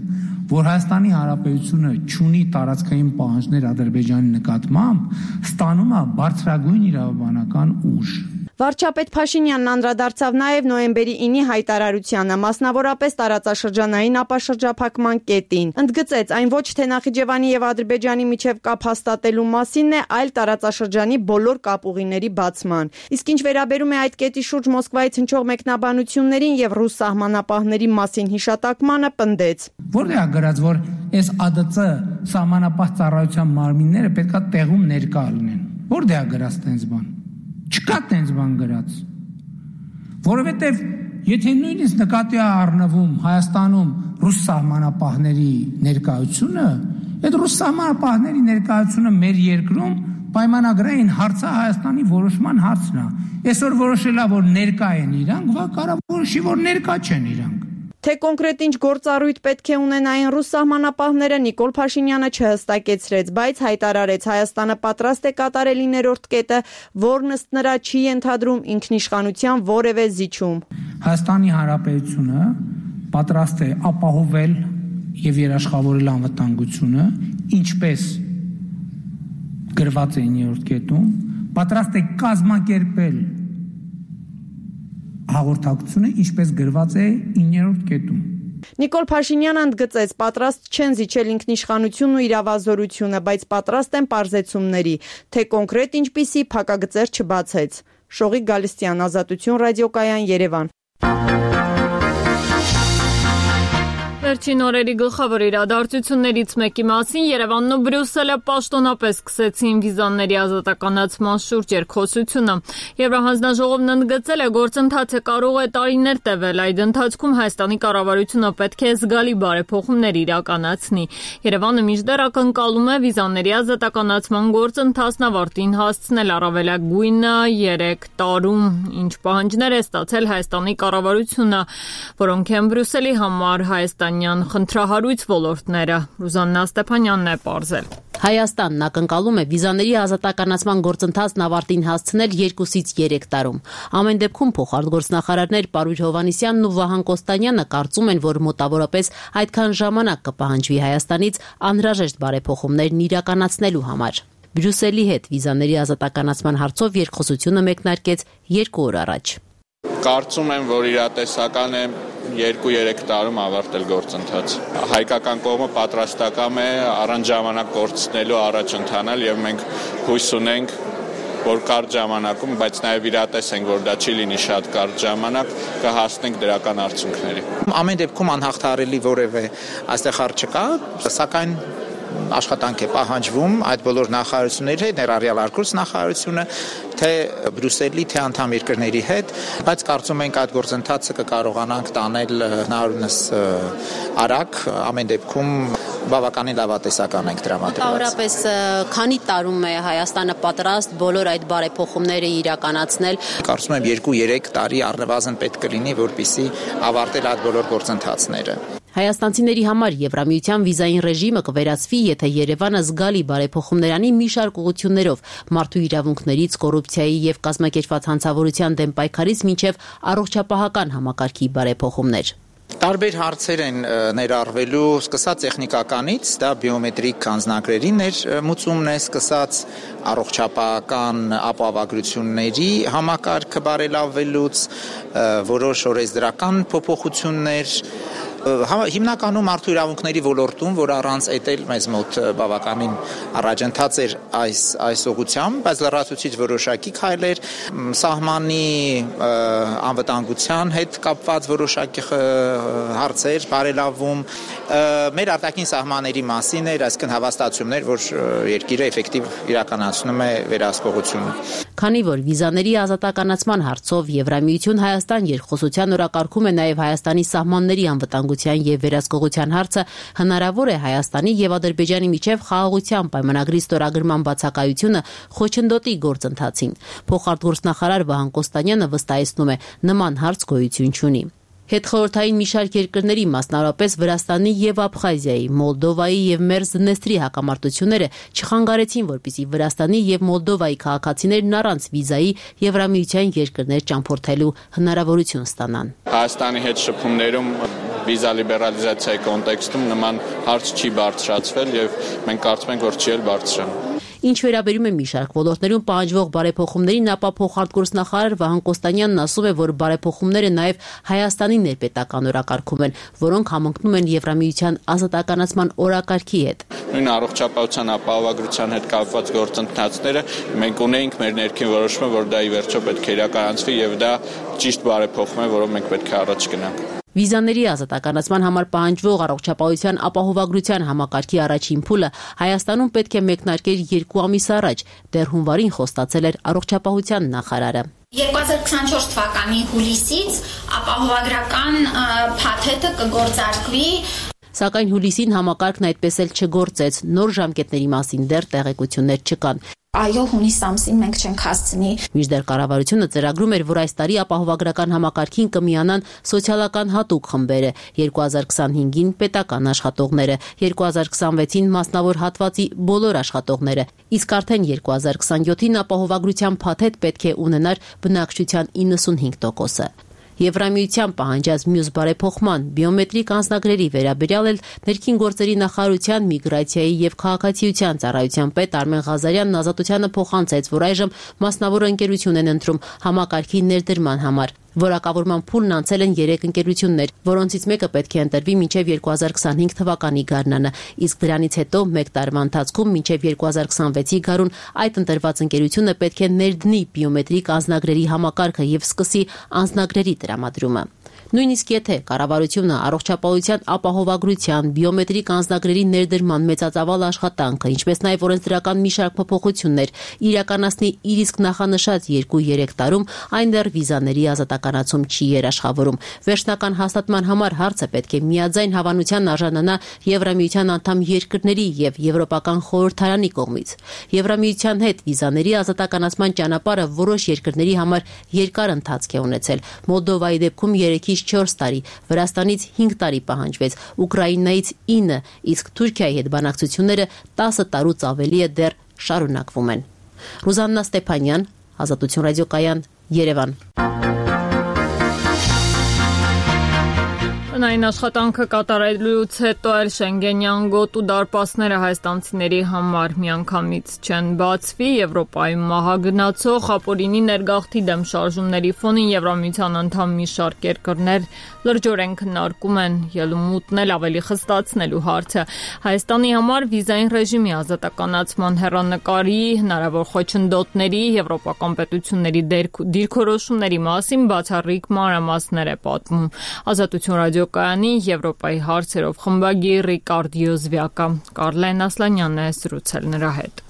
O: որ Հայաստանի Հանրապետությունը չունի տարածքային պահանջներ Ադրբեջանի նկատմամբ, ստանում է բարձրագույն իրավաբանական ուժ։
N: Վարչապետ Փաշինյանն անդրադարձավ նաև նոյեմբերի 9-ի հայտարարությանը, մասնավորապես տարածաշրջանային ապաշրջափակման կետին։ Ընդգծեց, այն ոչ թե Նախիջևանի եւ Ադրբեջանի միջև կապ հաստատելու մասինն է, այլ տարածաշրջանի բոլոր կապուղիների բացման։ Իսկ ինչ վերաբերում է այդ կետի շուրջ Մոսկվայից հնչող մեկնաբանություններին եւ ռուս սահմանապահների մասին հիշատակմանը, պնդեց.
O: Որտեղ է գրած, որ այս ԱԴՑ սահմանապահ ծառայության մարմինները պետքա տեղում ներկա լինեն։ Որտեղ է գրած տենց բան։ Չկա տենց բան գրած, որովհետև եթե նույնիսկ նկատի է առնվում Հայաստանում ռուս սահմանապահների ներկայությունը, այդ ռուս սահմանապահների ներկայությունը մեր երկրում պայմանագրային հարցը Հայաստանի որոշման հարցն է։ Այսօր որոշել է, որ ներկա են իրանք, վաղ կարա որոշի, որ ներկա չեն իրանք։
N: Թե կոնկրետ ինչ գործառույթ պետք է ունենային ռուս սահմանապահները Նիկոլ Փաշինյանը չհստակեցրեց, բայց հայտարարեց Հայաստանը պատրաստ է կատարել 9-րդ կետը, որն ըստ նրա չի ենթադրում ինքնիշխանության որևէ զիջում։
O: Հայաստանի Հանրապետությունը պատրաստ է ապահովել եւ երաշխավորել անվտանգությունը, ինչպես գրված է 9-րդ կետում, պատրաստ է կազմակերպել հաղորդակցությունը, ինչպես գրված է 9-րդ կետում։
N: Նիկոլ Փաշինյանը ընդգծեց, պատրաստ չեն զիջել ինքնիշխանությունն ու իրավազորությունը, բայց պատրաստ են պարզեցումների, թե կոնկրետ ինչպիսի փակագծեր չբացեց։ Շողիկ Գալստյան, Ազատություն ռադիոկայան, Երևան։
B: Վերջին օրերի գլխավոր իրադարձություններից մեկի մասին Երևանն ու Բրյուսելը պաշտոնապես սկսեցին վիզաների ազատականացման շուրջ երկխոսությունը։ Եվրահանձնաժողովն ընդգծել է, գործընթացը կարող է տարիներ տևել, այդ ընթացքում Հայաստանի կառավարությունը պետք է զգալի բարեփոխումներ իրականացնի։ Երևանը մինչդեռ ակնկալում է վիզաների ազատականացման գործընթացն ավարտին հասցնել առավելագույնը 3 տարում, ինչ պահանջներ է ստացել Հայաստանի կառավարությունը, որոնք են Բրյուսելի համար խնդրահարույց ոլորտները։ Ռուզաննա Ստեփանյանն է պարզել։
P: Հայաստանն ակնկալում է վիզաների ազատականացման գործընթացն ավարտին հասցնել 2-ից 3 տարում։ Ամեն դեպքում փոխարտգործնախարարներ Պարույր Հովհաննիսյանն ու Վահան Կոստանյանը կարծում են, որ մոտավորապես այդքան ժամանակ կպահանջվի Հայաստանից անհրաժեշտ բարեփոխումներն իրականացնելու համար։ Բրյուսելի հետ վիզաների ազատականացման հարցով երկխոսությունը մեկնարկեց 2 օր առաջ։
Q: Կարծում եմ, որ իրատեսական է 2-3 տարում ավարտել գործընթաց։ Հայկական կողմը պատրաստական է առանց ժամանակ կորցնելու առաջ ընթանալ եւ մենք հույս ունենք, որ կարճ ժամանակում, բայց նաեւ իրատես ենք, որ դա չի լինի շատ կարճ ժամանակ, կհասնենք դրական արդյունքների։
R: Ամեն դեպքում անհաղթահարելի որևէ այստեղ հարց չկա, սակայն աշխատանք է պահանջվում այդ բոլոր նախարարությունների հետ, ներառյալ արգործ նախարարությունը, թե Բրյուսելի, թե անդամ երկրների հետ, բայց կարծում ենք այդ գործընթացը կկարողանանք տանել հնարավորինս արագ, ամեն դեպքում բավականին լավատեսական ենք տրամադրված։
P: Մոտավորապես քանի տարում է Հայաստանը պատրաստ բոլոր այդ բարեփոխումները իրականացնել։
R: Կարծում եմ 2-3 տարի առնվազն պետք կլինի, որպեսզի ավարտել այդ բոլոր գործընթացները։
P: Հայաստանցիների համար Եվրամիության վիզային ռեժիմը կվերացվի, եթե Երևանը զգալի բարեփոխումներ անի մի շարք ուղղություններով՝ մարդու իրավունքներից, կոռուպցիայի եւ կազմակերպված հանցավորության դեմ պայքարից մինչեւ առողջապահական համակարգի բարեփոխումներ։
R: Տարբեր հարցեր են ներառվելու, սկսած տեխնիկականից, դա բիոմետրիկ անձնագրերի ներմուծումն է, սկսած առողջապահական ապահովագրությունների համակարգը բարելավելուց, որոշ օրենսդրական փոփոխություններ, հիմնականում մարդու իրավունքների ոլորտում, որ առանց էտել մեզ մոտ բավականին առաջընթաց էր այս ուղղությամբ, բայց լրացուցիչ որոշակի քայլեր, սահմանի անվտանգության հետ կապված որոշակի հարցեր, բարելավում, մեր արտաքին սահմանների մասին էր, այսինքն հավաստացումներ, որ երկիրը էֆեկտիվ իրականացնում է վերահսկողությունը։
P: Քանի որ վիզաների ազատականացման հարցով Եվրամիություն Հայաստան երկխոսության օրակարգում է նաև Հայաստանի սահմանների անվտանգության եւ վերահսկողության հարցը, հնարավոր է Հայաստանի եւ Ադրբեջանի միջև խաղաղության պայմանագրի ստորագրման բացակայությունը խոչընդոտի գործընթացին։ Փոխարտգործնախարար Վահան Կոստանյանը վստահեցնում է, նման հարց գոյություն չունի։ Հետխորհրդային մի շարք երկրների, մասնավորապես Վրաստանի եւ Աբխազիայի, Մոլդովայի եւ Մերձդնեստրի հակամարտությունները չխանգարեցին, որպեսզի Վրաստանի եւ Մոլդովայի քաղաքացիներն առանց վիզայի Եվրամիության երկրներ ճամփորդելու հնարավորություն ստանան։
Q: Հայաստանի հետ շփումներում վիզա լիբերալիզացիայի կոնտեքստում նման հարց չի բարձրացվել եւ մենք կարծում ենք, որ չի էլ բարձրանա։
P: Ինչ վերաբերում է մի շարք ոլորտներում պահանջվող բարեփոխումներին, ապա փոխարտգործնախարար Վահան Կոստանյանն ասում է, որ բարեփոխումները նաև Հայաստանի ներպետական օրակարգում են, որոնք համընկնում են Եվրամիության ազատականացման օրակարգի հետ։
Q: Նույն առողջապահության ապահովագրության հետ կապված գործընթացները մենք ունենք մեր ներքին որոշումը, որ դա ի վերջո պետք է իրականացվի եւ դա ճիշտ բարեփոխում է, որով մենք պետք է առաջ գնանք։
P: Վիզաների ազատականացման համար պահանջվող առողջապահության ապահովագրության համակարգի առաջին փուլը Հայաստանում պետք է մեկնարկեր 2 ամիս առաջ, դեռ հունվարին խոստացել էր առողջապահության նախարարը։
S: 2024 թվականի հուլիսից ապահովագրական փաթեթը կգործարկվի։
P: Սակայն հուլիսին համակարգն այդպես էլ չգործեց, նոր ժամկետների մասին դեռ տեղեկություններ չկան։
S: Այո, հունիս ամսին մենք չենք հասցնի։
P: Մինչդեռ կառավարությունը ծրագրում էր, որ այս տարի ապահովագրական համակարգին կմիանան սոցիալական հատուկ խմբերը, 2025-ին պետական աշխատողները, 2026-ին մասնավոր հատվածի բոլոր աշխատողները, իսկ արդեն 2027-ին ապահովագրության փաթեթ պետք է ունենար բնակչության 95%-ը։ Եվրամիության պահանջած մյուս բարեփոխման բիոմետրիկ անձնագրերի վերաբերյալ էլ ներքին գործերի նախարարության միգրացիայի եւ քաղաքացիության ծառայության պետ Արմեն Ղազարյանն ազատությանը փոխանցեց, որ այժմ մասնավոր ընկերություն են ընտրում համակարգի ներդրման համար։ Որակավորման փուլն անցել են 3 ընկերություններ, որոնցից մեկը պետք է ընտրվի մինչև 2025 թվականի գարնանը, իսկ դրանից հետո 1 տարվա ընթացքում մինչև 2026-ի գարուն այդ ընտրված ընկերությունը պետք է ներդնի բիոմետրիկ անձնագրերի համակարգը եւ սկսի անձնագրերի տրամադրումը։ Նույնիսկ եթե կառավարությունը առողջապահության ապահովագրության բիոմետրիկ անձնագրերի ներդրման մեծածավալ աշխատանքը, ինչպես նաև օրենսդրական մի շարք փոփոխություններ իրականացնի իր իսկ նախանշած 2-3 տարում, այն դեռ վիզաների ազատականացում չի երաշխավորում։ Վերջնական հաստատման համար հարցը պետք է միաձայն հավանության արժանանա Եվրամիության անդամ երկրների եւ Եվրոպական խորհրդարանի կողմից։ Եվրամիության հետ վիզաների ազատականացման ճանապարհը որոշ երկրների համար երկար ընթացք է ունեցել։ Մոլդովայի դեպքում 3-ից 4 տարի, Վրաստանից 5 տարի պահանջվեց, Ուկրաինայից 9, իսկ Թուրքիայի հետ բանակցությունները 10 տարուց ավելի է դեռ շարունակվում են։ Ռուզաննա Ստեփանյան, Ազատություն ռադիոկայան, Երևան։
B: Այն աշխատանքը կատարելուց հետո էլ Շենգենյան գոտու դարպասները հայաստանցիների համար միանգամից չեն բացվի։ Եվրոպայում մահագնացող ապօրինի ներգաղթի դեմ շարժումների ֆոնին Եվրամիության անդամ մի շարք երկրներ լրջորեն քննարկում են ելումուտն էլ ավելի խստացնելու հարցը։ Հայաստանի համար վիզային ռեժիմի ազատականացման հեռանկարի հնարավոր խոչընդոտների եվրոպական պետությունների դիրքորոշումների մասին բացառիկ մանրամասներ է պատմում Ազատություն ռադիոկայանի Եվրոպայի հարցերով խմբագիրի կարդիոզվյակա Կարլեն Ասլանյանն է զրուցել նրա հետ։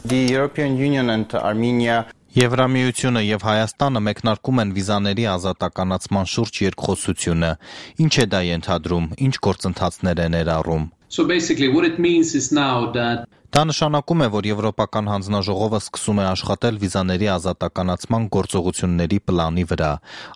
T: The European Union and Armenia Եվրամիությունը եւ Հայաստանը մեկնարկում են վիզաների ազատականացման շուրջ երկխոսությունը։ Ինչ է դա ենթադրում, ինչ գործընթացներ է ներառում։
U: So basically what it means is now that
T: Դա նշանակում է, որ Եվրոպական հանձնաժողովը սկսում է աշխատել վիզաների ազատականացման գործողությունների պլանի վրա։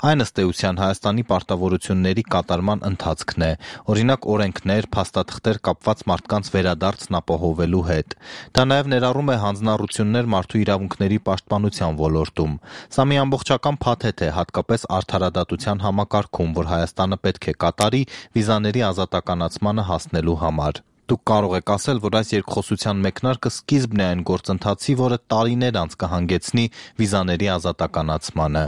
T: Այն ըստ էության Հայաստանի պարտավորությունների կատարման ընթացքն է, օրինակ օրենքներ, փաստաթղթեր կապված մարդկանց վերադարձն ապահովելու հետ։ Դա նաև ներառում է հանձնառություններ մարդու իրավունքների պաշտպանության ոլորտում։ Սա մի ամբողջական փաթեթ է, հատկապես արդարադատության համակարգում, որ Հայաստանը պետք է կատարի վիզաների ազատականացմանը հասնելու համար։ Դուք կարող եք ասել, որ այս երկխոսության մեկնարկը սկիզբն է այն գործընթացի, որը տարիներ անց կհանգեցնի վիզաների ազատականացմանը։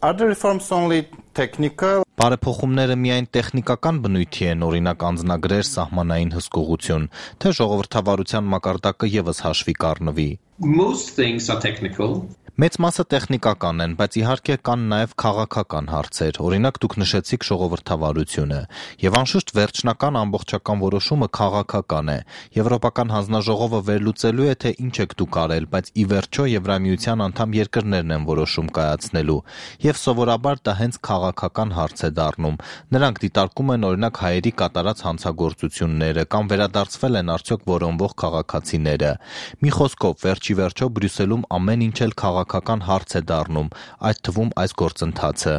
T: Are the reforms only technical? Բարեփոխումները միայն տեխնիկական բնույթի են, օրինակ անձնագրեր, սահմանային հսկողություն, թե ժողովրդավարության մակարդակը եւս հաշվի կառնվի։
U: Most things are technical.
T: Մեծ մասը տեխնիկական են, բայց իհարկե կան նաև քաղաքական հարցեր, օրինակ դուք նշեցիք ժողովրդավարությունը, եւ անշուշտ վերջնական ամբողջական որոշումը քաղաքական է։ Եվրոպական հանձնաժողովը վերլուծելու է, թե ինչ եք դուք արել, բայց ի վերջո Եվրամիության անդամ երկրներն են որոշում կայացնելու, եւ սովորաբար դա հենց քաղաքական հարց է դառնում։ Նրանք դիտարկում են օրինակ հայերի կատարած հանցագործությունները կամ վերադարձվել են արդյոք որոնվող քաղաքացիները։ Մի խոսքով, վերջի վերջո Բրյուսելում ամեն ինչ էլ քաղաքական հարց է դառնում, այդ թվում այս գործընթացը։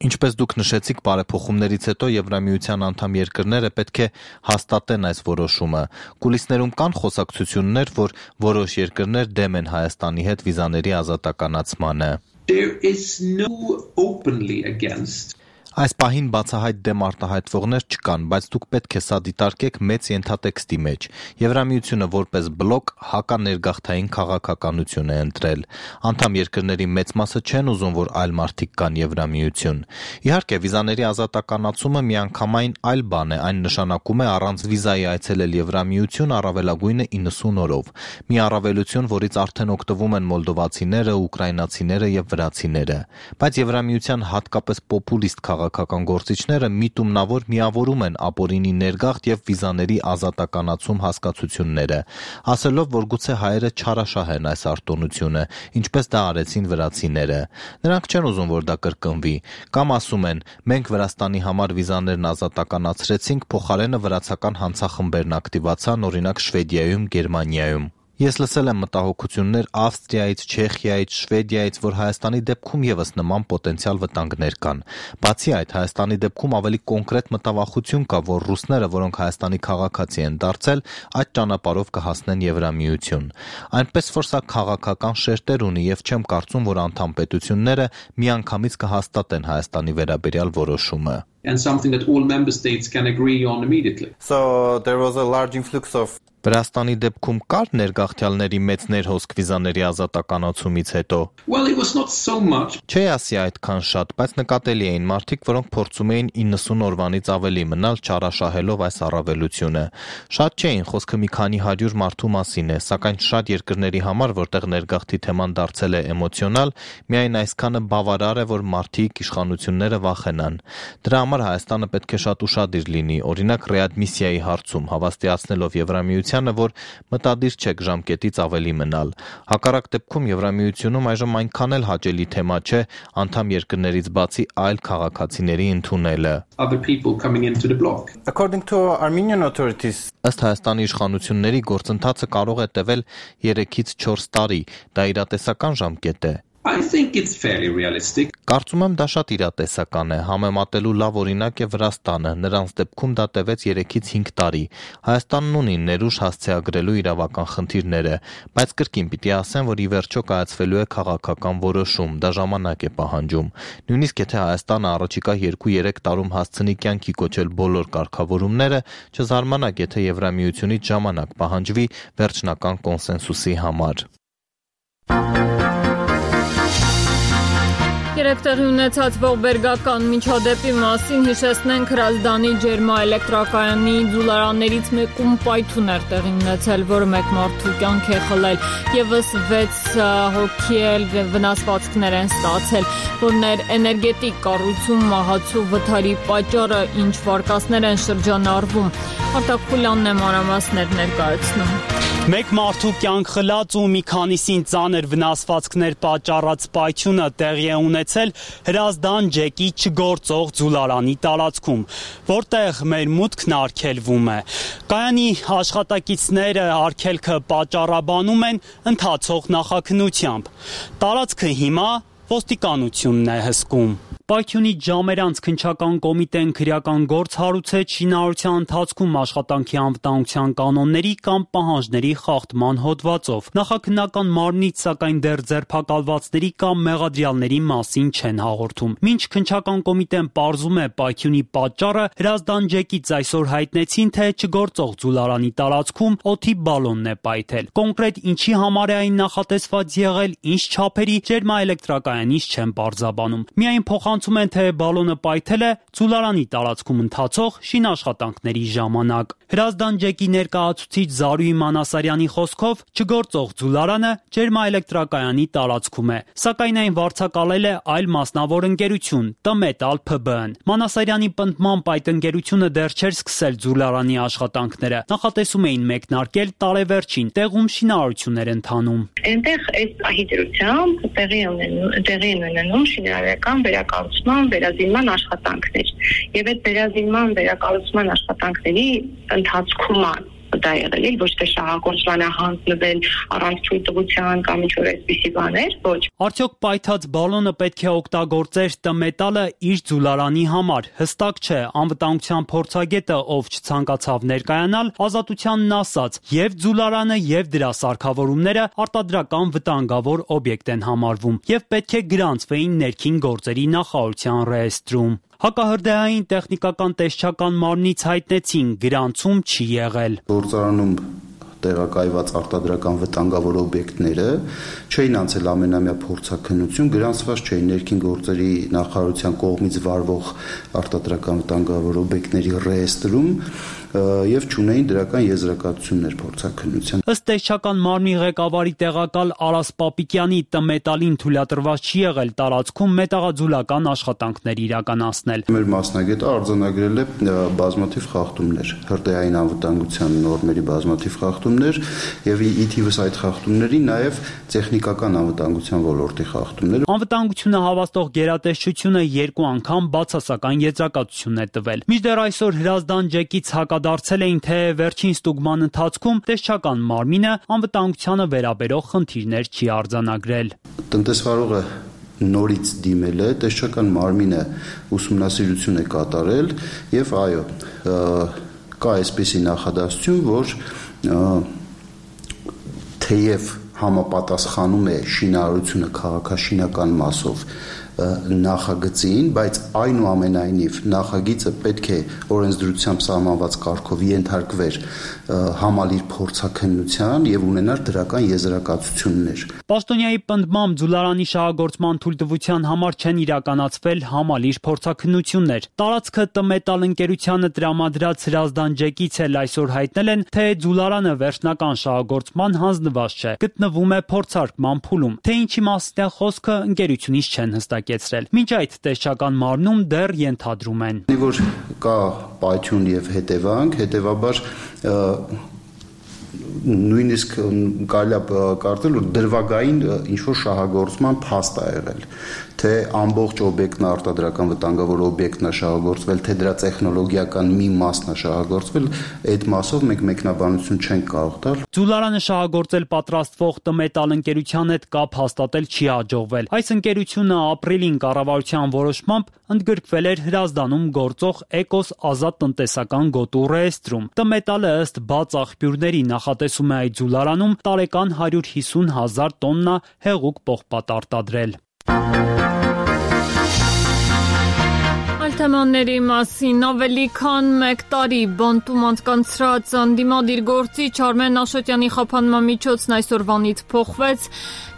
T: Ինչպես դուք նշեցիք, բարեփոխումներից հետո Եվրամիության անդամ երկրները պետք է հաստատեն այս որոշումը։ Կուլիսներում կան խոսակցություններ, որ որոշ երկրներ դեմ են Հայաստանի հետ վիզաների ազատականացմանը։
U: There is no openly against.
T: Այս պահին բացահայտ դեմ արտահայտվողներ չկան, բայց դուք պետք է սա դիտարկեք մեծ ենթատեքստի մեջ։ Եվրամիությունը որպես բլոկ հականերգաղթային քաղաքականություն է ընտրել։ Անդամ երկրների մեծ մասը չեն ուզում, որ այլ մարդիկ կան Եվրամիություն։ Իհարկե, վիզաների ազատականացումը միանգամայն այլ բան է, այն նշանակում է առանց վիզայի այցելել Եվրամիություն առավելագույնը 90 օրով։ Մի առավելություն, որից արդեն օգտվում են մոլդովացիները, ուկրաինացիները եւ վրացիները։ Բայց Եվրամիության հատկապես պոպուլիստ քաղաքական գործիչները միտումնավոր միավորում են ապօրինի ներգաղթ եւ վիզաների ազատականացում հասկացությունները, ասելով, որ գուցե հայերը չարաշահեն այս արտոնությունը, ինչպես դա արեցին վրացիները։ Նրանք չեն ուզում, որ դա կրկնվի, կամ ասում են, մենք Վրաստանի համար վիզաներն ազատականացրեցինք, փոխարենը վրացական հանցախմբերն ակտիվացան, օրինակ Շվեդիայում, Գերմանիայում։ Ես լսել եմ մտահոգություններ Ավստրիայից, Չեխիայից, Շվեդիայից, որ Հայաստանի դեպքում եւս նման պոտենցիալ վտանգներ կան։ Բացի այդ, Հայաստանի դեպքում ավելի կոնկրետ մտավախություն կա, որ ռուսները, որոնք Հայաստանի քաղաքացի են դարձել, այդ ճանապարհով կհասնեն Եվրամիություն։ Այնպես որ սա քաղաքական շերտեր ունի եւ չեմ կարծում, որ անդամ պետությունները միանգամից կհաստատեն Հայաստանի վերաբերյալ որոշումը։
U: And something that all member states can agree on immediately.
T: So there was a large influx of Վրաստանի դեպքում կար ներգաղթյալների մեծ ներհոսք վիզաների ազատականացումից հետո։
U: Well, it was not so much.
T: Չէ ասի այդքան շատ, բայց նկատելի էին մարդիկ, որոնք փորձում էին 90 օրվանից ավելի մնալ չարաշահելով այս առավելությունը։ Շատ չէին, խոսքը մի քանի 100 մարդու մասին է, սակայն շատ երկրների համար, որտեղ ներգաղթի թեման դարձել է էմոցիոնալ, միայն այսքանը բավարար է, որ մարդիկ իշխանությունները վախենան։ Դրա համար Հայաստանը պետք է շատ ուշադիր լինի, օրինակ ռեադմիսիայի հարցում, հավաստիացնելով Եվրամիությանը, որ մտադիր չեք ժամկետից ավելի մնալ։ Հակառակ դեպքում Եվրամիությունում այժմ այնքան էլ հաճելի թեմա չէ անդամ երկրներից բացի այլ քաղաքացիների ընդունելը։
U: Other people coming into the bloc.
T: According to Armenian authorities, ըստ Հայաստանի իշխանությունների գործընթացը կարող է տևել 3-ից 4 տարի։ Դա իրատեսական ժամկետ է։
U: I think it's fairly realistic.
T: Կարծում եմ դա շատ իրատեսական է, համեմատելու լավ օրինակ է Վրաստանը, նրանց դեպքում դա տևեց 3-ից 5 տարի։ Հայաստանն ունի ներուժ հասցեագրելու իրավական խնդիրները, բայց կրկին պիտի ասեմ, որ ի վերջո կայացվելու է քաղաքական որոշում, դա ժամանակ է պահանջում։ Նույնիսկ եթե Հայաստանը առաջիկա 2-3 տարում հասցնի կյանքի կոչել բոլոր կարգավորումները, չզարմանաք, եթե Եվրամիությունից ժամանակ պահանջվի վերջնական կոնսենսուսի համար։
B: Երեկ տեղի ունեցած ողբերգական միջադեպի մասին հիշեցնենք Հրազդանի ջերմաէլեկտրակայանի ձուլարաններից մեկում պայթուն էր տեղի ունեցել, որը մեկ մարդու կյանք է խլել, եւս 6 հոգի էլ վնասվածքներ են ստացել, որներ էներգետիկ կառույցում մահացու վթարի պատճառը ինչ վարկածներ են շրջանառվում։ Արտակ Խուլյանն է մանրամասներ ներկայացնում։
A: Մեկ մարդու կյանք խլած ու մի քանիսին ծանր վնասվածքներ պատճառած պայթյունը տեղի է ունեցել Հրազդան ջեկի չգործող ձուլարանի տարածքում, որտեղ մեր մուտքն արգելվում է։ Կայանի աշխատակիցները արգելքը պատճառաբանում են ընթացող նախաքննությամբ։ Տարածքը հիմա ոստիկանությունն է հսկում։ Պայթյունից ժամեր անց քննչական կոմիտեն քրեական գործ հարուցեց շինարարության ընթացքում աշխատանքի անվտանգության կանոնների կամ պահանջների խախտման հոդվածով։ Նախաքննական մարմնից սակայն դեռ ձերբակալվածների կամ մեղադրյալների մասին չեն հաղորդում։ Մինչ քննչական կոմիտեն պարզում է պայթյունի պատճառը, Հրազդան ջեկից այսօր հայտնեցին, թե չգործող ձուլարանի տարածքում օդի բալոնն է պայթել։ Կոնկրետ ինչի համար է այն նախատեսված եղել, ինչ չափերի, ջերմաէլեկտրակայանից չեն պարզաբանում։ Միայն փոխանցում են, թե բալոնը պայթել է ձուլարանի տարածքում ընթացող շինաշխատանքների ժամանակ։ Հրազդան ջեկի ներկայացուցիչ Զարուհի Մանասարյանի խոսքով չգործող ձուլարանը ջերմաէլեկտրակայանի տարածքում է, սակայն այն վարձակալել է այլ մասնավոր ընկերություն՝ Տմետալ ՓԲ-ն։ Մանասարյանի պնդմամբ այդ ընկերությունը դեռ չէր սկսել ձուլարանի աշխատանքները, նախատեսում էին մեկնարկել տարեվերջին, տեղում շինարարություններ ընթանում։
V: Այնտեղ այս պահի տեղի են ունենում շինարարական վերակառուցման, վերազինման աշխատանքներ։ Եվ այդ վերազինման, վերակառուցման աշխատանքների ընթացքում դա եղել, ոչ թե շահագործման հանձնվել առանց թույլտվության կամ ինչ-որ այսպիսի բաներ, ոչ։
A: Արդյոք պայթած բալոնը պետք է օգտագործեր Տմետալը իր ձուլարանի համար։ Հստակ չէ, անվտանգության փորձագետը, ով չցանկացավ ներկայանալ, Ազատությանն ասաց, եւ ձուլարանը եւ դրա սարքավորումները արտադրական վտանգավոր օբյեկտ են համարվում եւ պետք է գրանցվեին ներքին գործերի նախարարության ռեեստրում։ Հակահրդեհային տեխնիկական տեսչական մարմնից հայտնեցին գրանցում չի եղել։
W: Գործարանում տեղակայված արտադրական վտանգավոր օբյեկտները չէին անցել ամենամյա փորձաքննություն, գրանցված չէին ներքին գործերի նախարարության կողմից վարվող արտադրական վտանգավոր օբյեկտների ռեեստրում, եւ չունեին դրական եզրակացություններ փորձաքննության։
A: Ըստ տեսչական մարմնի ղեկավարի տեղակալ Արաս Պապիկյանի, ՏՄետալին թույլատրված չի եղել տարածքում մետաղաձուլական աշխատանքներ իրականացնել։
W: Մեր մասնագետը արձանագրել է բազմաթիվ խախտումներ, հրդեհային անվտանգության նորմերի բազմաթիվ խախտումներ եւ ի թիվս այդ խախտումների նաեւ տեխնիկական անվտանգության ոլորտի խախտումներ։
A: Անվտանգությունը հավաստող գերատեսչությունը 2 անգամ բացասական եզրակացություն է տվել։ Մինչդեռ այսօր Հրազդան ջեկից հակադարձել էին, թե վերջին ստուգման ընթացքում տեսչական մարմինը անվտանգությանը վերաբերող խնդիրներ չի արձանագրել։
W: Տնտեսվարողը նորից դիմել է, տեսչական մարմինը ուսումնասիրություն է կատարել եւ այո, կա այսպիսի նախադասություն, որ թեև համապատասխանում է շինարարությունը քաղաքաշինական մասով նախագծին, բայց այնուամենայնիվ նախագիծը պետք է օրենսդրությամբ սահմանված կարգով ենթարկվեր համալիր փորձաքննության եւ ունենար դրական եզրակացություններ։
A: Պաշտոնյայի պնդմամբ ձուլարանի շահագործման թույլտվության համար չեն իրականացվել համալիր փորձաքննություններ։ Տարածքը ՏՄետալ ընկերությանը տրամադրած Հրազդան ջեկից էլ այսօր հայտնել են, թե ձուլարանը վերջնական շահագործման հանձնված չէ, գտնվում է փորձարկման փուլում։ Թե ինչի մասին է խոսքը, ընկերությունից չեն հստակեցրել։ Մինչ այդ տեսչական մարմնում դեռ ենթադրում են,
W: որ կա պայթյուն եւ հետևանք, հետեւաբար նույնիսկ կարելի է կարծել, որ դրվագային ինչ-որ շահագործման փաստ է եղել, թե ամբողջ օբյեկտն արտադրական վտանգավոր օբյեկտն է շահագործվել, թե դրա տեխնոլոգիական մի մասն է շահագործվել, այդ մասով մենք մեկնաբանություն չենք կարող տալ։
A: Ձուլարանը շահագործել պատրաստվող ՏՄետալ ընկերության հետ կապ հաստատել չի հաջողվել։ Այս ընկերությունը ապրիլին կառավարության որոշմամբ ընդգրկվել էր Հրազդանում գործող Էկոս ազատ տնտեսական գոտու ռեեստրում։ ՏՄետալը ըստ բաց աղբյուրների նախատեսում է այդ ձուլարանում տարեկան 150,000 տոննա հեղուկ պողպատ արտադրել։
B: Թեմաների մասին ավելի քան 1 տարի բանտում անցկացրած ընդդիմադիր գործիչ Արմեն Աշոտյանի խափանման միջոցն այսօրվանից փոխվեց։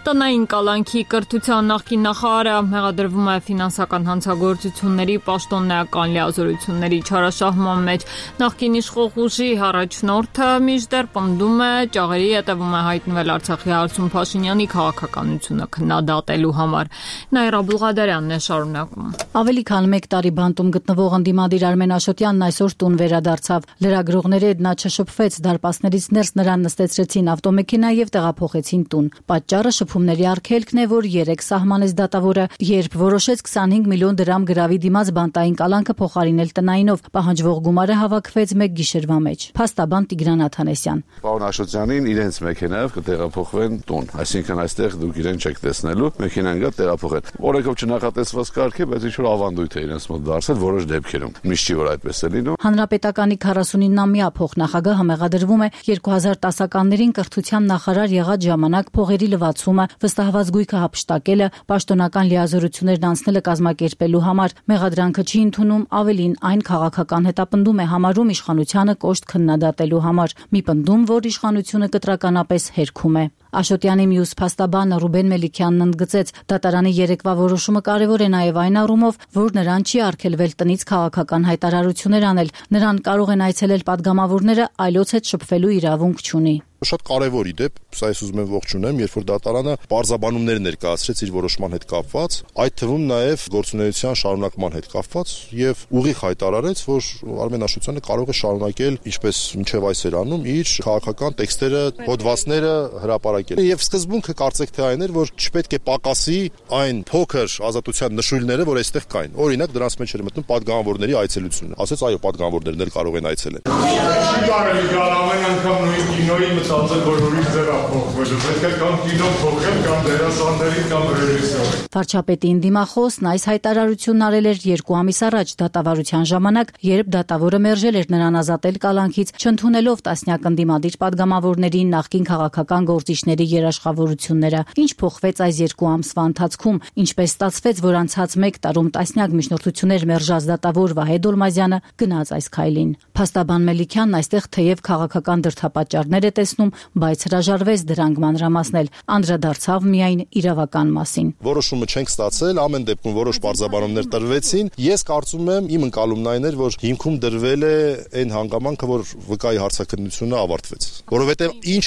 B: Տնային կալանքի կրթության նախկին նախարարը մեղադրվում է ֆինանսական հանցագործությունների պաշտոնեական լիազորությունների չարաշահման մեջ։ Նախկին իշխող ուժի առաջնորդը մինչդեռ պնդում է, ճաղերի հետևում է հայտնվել Արցախի հարցում Փաշինյանի քաղաքականությունը քննադատելու համար։ Նաիրա Բուղադարյանն է շարունակում։
D: Ավելի քան 1 տարի բանտում գտնվող ընդդիմադիր Արմեն Աշոտյանն այսօր տուն վերադարձավ։ Լրագրողների հետ նա չշփվեց, դարպասներից ներս նրան նստեցրեցին ավտոմեքենա եւ տեղափոխեցին տուն։ Պատճառը շփումների արգելքն է, որ 3 սահմանեց դատավորը, երբ որոշեց 25 միլիոն դրամ գրավի դիմաց բանտային կալանքը փոխարինել տնայինով։ Պահանջվող գումարը հավաքվեց 1 գիշերվա մեջ։ Փաստաբան Տիգրան Աթանեսյան։
E: Պարոն Աշոտյանին իրենց մեքենայով կտեղափոխվեն տուն, այսինքն այստեղ դուք իրեն չեք տեսնելու, մեքենան գա տեղափոխեն։ Օրենքով չնախատեսված կարգ է, բայց ինչ որ ավանդույթ է իրենց մոտ դարձել որոշ դեպքերում։ Միշտ չի որ այդպես է լինում։
D: Հանրապետականի 49-ամյա փոխնախագահը մեղադրվում է 2010-ականներին կրթության նախարար եղած ժամանակ փողերի լվացումը, վստահված գույքը հափշտակելը, պաշտոնական լիազորություններն անցնելը կազմակերպելու համար։ Մեղադրանքը չի ընդունում, ավելին այն քաղաքական հետապնդում է համարում իշխանությանը կոշտ քննադատելու համար։ Մի պնդում, որ իշխանությունը կտրականապես հերքում է։ Աշոտյանի մյուս փաստաբանը Ռուբեն Մելիքյանն ընդգծեց, դատարանի երեկվա որոշումը կարևոր է նաև այն առումով, որ նրան չի արգելվել տնից քաղաքական հայտարարություններ անել, նրան կարող են այցելել падգամավորները, այլոց հետ շփվելու իրավունք չունի։
H: Շատ կարևոր իդեպ, սա ես ուզում եմ ողջունեմ, երբ որ դատարանը պարզաբանումներ ներկայացրեց իր որոշման հետ կապված, այդ թվում նաև գործունեության շարունակման հետ կապված եւ ուղիղ հայտարարեց, որ Արմեն Աշոտյանը կարող է շարունակել, ինչպես մինչև այսօր անում, իր քաղաքական տեքստերը, հոդվածները հրապարակել։ Եվ սկզբունքը կարծեք թե այն էր, որ չպետք է պակասի այն փոքր ազատության նշույլները, որ այստեղ կային։ Օրինակ դրանց մեջ էր մտնում падգամավորների այցելությունը։ Ասեց այո, падգամավորներն էլ կարող են այցելել։
F: Չի կարելի գալ ամեն անգամ նույն կինոյի մտածել, որ ուրիշ ձև փոխվելու, պետք է կամ կինո փոխել, կամ դերասանների, կամ ռեժիսորի։
D: Վարչապետի դիմախոսն այս հայտարարությունն արել էր 2 ամիս առաջ դատավարության ժամանակ, երբ դատավորը մերժել էր նրան ազատել կալանքից, չընդունելով տասնյակ ընդդիմադիր падգամավորների նախկին քաղաքական գործիչների կառույցների երաշխավորությունները։ Ինչ փոխվեց այս 2 ամսվա ընթացքում, ինչպես ստացվեց, որ անցած 1 տարում տասնյակ միջնորդություններ մերժած դատավոր Վահե Դոլմազյանը գնաց այս քայլին։ Փաստաբան Մելիքյանն այստեղ թեև քաղաքական դրդապատճառներ է տեսնում, բայց հրաժարվեց դրանք մանրամասնել, անդրադարձավ միայն իրավական մասին։
H: Որոշումը չենք ստացել, ամեն դեպքում որոշ պարզաբանումներ տրվեցին։ Ես կարծում եմ, իմ ընկալումն այն էր, որ հիմքում դրվել է այն հանգամանքը, որ վկայի հարցաքննությունը ավարտվեց։ Որովհետև ինչ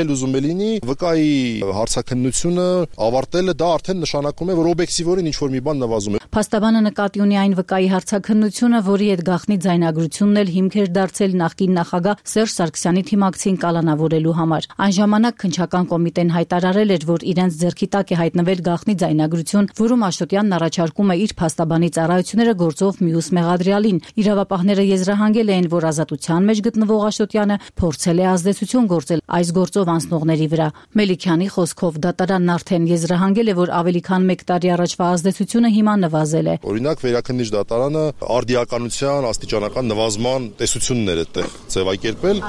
H: էլ ուզում է լինի, վկայի հարցաքննությունը ավարտելը դա արդեն նշանակում է, որ օբյեկտիվորեն ինչ որ մի բան նվազում է։
D: Փաստաբանը նկատի ունի այն վկայի հարցաքննությունը, որի հետ գաղտնի ձայնագրությունն էլ հիմք էր դարձել նախկին նախագահ Սերժ Սարգսյանի թիմակցին կալանավորելու համար։ Այն ժամանակ քննչական կոմիտեն հայտարարել էր, որ իրենց ձեռքի տակ է հայտնվել գաղտնի ձայնագրություն, որում Աշոտյանն առաջարկում է իր փաստաբանի ծառայությունները գործով մյուս մեղադրյալին։ Իրավապահները եզրահանգել էին, որ ազատության մեջ գտնվող Աշոտյանը փորձել է ազդեցություն գործել այս գործով անցնողների վրա։ Մելիքյանի խոսքով դատարանն արդեն եզրահանգել է, որ ավելի քան 1 տարի առաջվա ազդեցությունը հիմա նվազել է։
H: Օրինակ վերաքննիչ դատարանը արդիականության աստիճանական նվազման տեսություններ է տեղ ձևակերպել,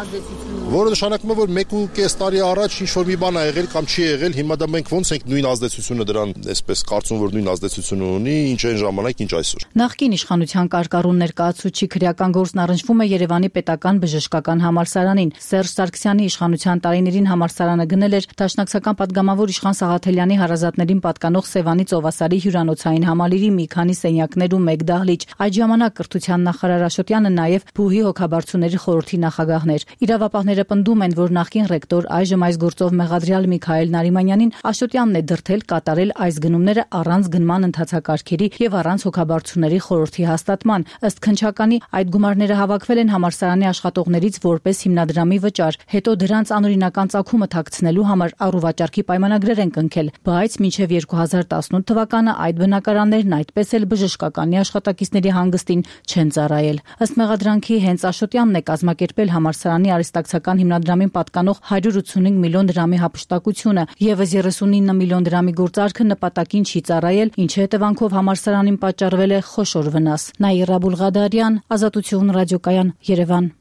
H: որը նշանակում է, որ 1.5 տարի առաջ ինչ որ մի բան ա եղել կամ չի եղել, հիմա դա մենք ոնց ենք նույն ազդեցությունը դրան այսպես կարծում որ նույն ազդեցությունը ունի, ինչ այն ժամանակ, ինչ այսօր։
D: Նախկին իշխանության կարգառուն ներկայացուցիչ քրեական գործն առնչվում է Երևանի պետական բժշկական համալսարանին։ Սերժ Սարգսյանի իշխանության տարիներին համալսարանը գնել էր դաշնակցական պատգամավոր Իշխան Սաղաթելյանի հարազատներին պատկանող Սևանի ծովասարի հյուրանոցային համալիրի մի քանի սենյակներ ու 1 դահլիճ։ Այդ ժամանակ կրթության նախարար Աշոտյանը նաև Բուհի հոգաբարձուների խորհրդի նախագահներ։ Իրավապահները պնդում են, որ նախկին ռեկտոր այժմ այս գործով մեղադրյալ Միքայել Նարիմանյանին Աշոտյանն է դրդել կատարել այս գնումները առանց գնման ընթացակարգերի եւ առանց հոգաբարձուների խորհրդի հաստատման։ Ըստ քննչականի այդ գումարները հավաքվել են համալսարանի աշխատողներից որպես հիմնադրամի վճար, հետո դրանց անօրինական ծագումը թաքցնելու համար առուվաճառքի պայմանագրեր են կնքել, բայց մինչև 2018 թվականը այդ բնակարաններն այդպես էլ բժշկականի աշխատակիցների հանգստին չեն ծառայել։ Ըստ մեղադրանքի հենց Աշոտյանն է կազմակերպել համալսարանի արհեստակցական հիմնադրամին պատկանող 185 միլիոն դրամի հափշտակությունը, եւս 39 միլիոն դրամի գործարքը նպատակին չի ծառայել, ինչի հետևանքով համալսարանին պատճառվել է խոշոր վնաս։ Նաիրա Բուլղադարյան, Ազատություն ռադիոկայան, Երևան։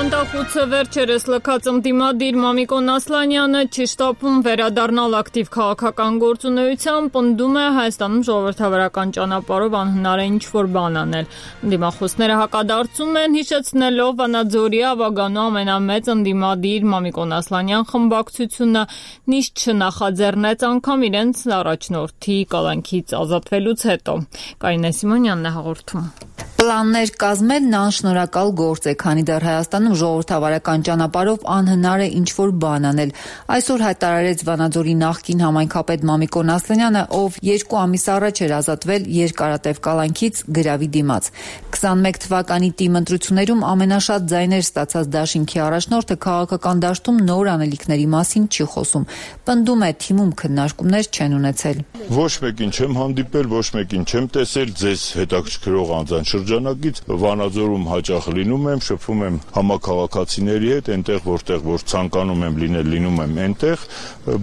B: Բանտախուցը վերջերս լքած ընդդիմադիր Մամիկոն Ասլանյանը չի շտապում վերադառնալ ակտիվ քաղաքական գործունեության, պնդում է Հայաստանում ժողովրդավարական ճանապարհով անհնար է ինչ-որ բան անել։ Ընդդիմախոսները հակադարձում են, հիշեցնելով Վանաձորի ավագանու ամենամեծ ընդդիմադիր Մամիկոն Ասլանյան խմբակցությունը նիստ չնախաձեռնեց անգամ իրենց առաջնորդի կալանքից ազատվելուց հետո։ Կարինե Սիմոնյանն է հաղորդում։
C: Պլաններ կազմելն անշնորհակալ գործ է, քանի դեռ Հայաստանում ժողովրդավարական ճանապարհով անհնար է ինչ-որ բան անել։ Այսօր հայտարարեց Վանաձորի նախկին համայնքապետ Մամիկոն Ասլանյանը, ով 2 ամիս առաջ էր ազատվել երկարատև կալանքից գրավի դիմաց։ 21 թվականի ՏԻՄ ընտրություններում ամենաշատ ձայներ ստացած դաշինքի առաջնորդը քաղաքական դաշտում նոր անելիքների մասին չի խոսում։ Պնդում է, թիմում քննարկումներ չեն ունեցել։
F: Ոչ մեկին չեմ հանդիպել, ոչ մեկին չեմ տեսել, ձեզ հետաքրքրող անձանց շրջանակից Վանաձորում հաճախ լինում եմ, շփվում եմ համակարգացիների հետ, այնտեղ որ ցանկանում եմ լինել, լինում եմ այնտեղ,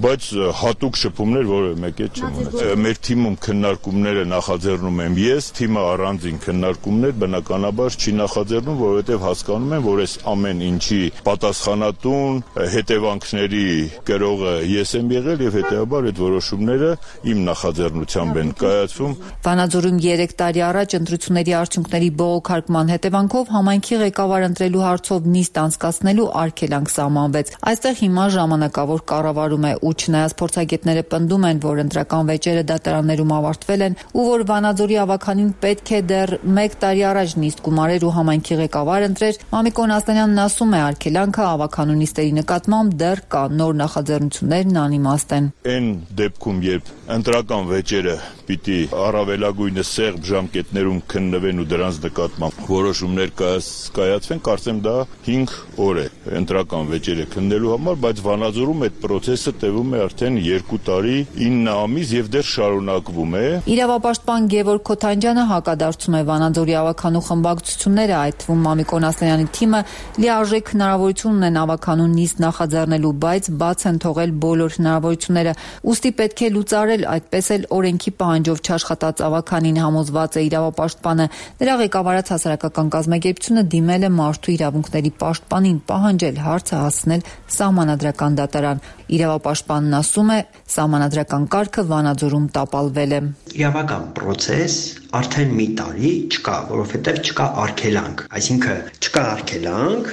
F: բայց հատուկ շփումներ որևէ մեկի հետ չեմ ունեցել։ Մեր թիմում քննարկումները նախաձեռնում եմ ես, թիմը առանձին քննարկումներ բնականաբար չի նախաձեռնում, որովհետև հասկանում եմ, որ այս ամեն ինչի պատասխանատուն, հետևանքների կրողը ես եմ եղել եւ հետեւաբար այդ որոշումները իմ նախաձեռնությամբ են կայացվում։
C: Վանաձորում 3 տարի առաջ ընտրությունների արդյունքների բողոքարկման հետևանքով համայնքի ղեկավար ընտրելու հարցով նիստ անցկացնելու արգելանք սահմանվեց։ Այստեղ հիմա ժամանակավոր կառավարում է, ու չնայած փորձագետները պնդում են, որ ընտրական վեճերը դատարաններում ավարտվել են ու որ Վանաձորի ավականին պետք է դեռ 1 տարի առաջ նիստ գումարեր ու համայնքի ղեկավար ընտրեր, Մամիկոն Ասլանյանն ասում է, արգելանքը ավականու նիստերի նկատմամբ դեռ կա, նոր նախաձեռնություններն անիմաստ են։
F: Այն դեպքում, երբ ընտրական վեճերը պիտի առավելագույնը սեղմ ժամկետներում քննվեն ու դրանց նկատմամբ որոշումներ կայացվեն, կարծեմ դա 5 օր է ընտրական վեճերը քննելու համար, բայց Վանաձորում այդ process-ը տևում է արդեն 2 տարի 9 ամիս եւ դեռ շարունակվում է։
C: Իրավապաշտպան Գևորգ Քոթանջյանը հակադարձում է Վանաձորի ավականու խմբակցությունները, այդ թվում Մամիկոն Ասլանյանի թիմը լիարժեք հնարավորություն ունեն ավականու նիստ նախաձեռնելու, բայց բաց են թողել բոլոր հնարավորությունները։ Ուստի պետք է լուծարել, այդպես էլ օրենքի պահանջով չաշխատած ավականին համոզված է իրավապաշտպանը։ Նրա ղեկավարած հասարակական կազմակերպությունը դիմել է մարդու իրավունքների պաշտպանին պահանջել հարցը հասցնել սահմանադրական դատարան։ Իրավապաշտպանն ասում է, սահմանադրական կարգը Վանաձորում տապալվել է։
G: Իրավական process արդեն մի տարի չկա, որովհետև չկա արգելանք, այսինքն չկա արգելանք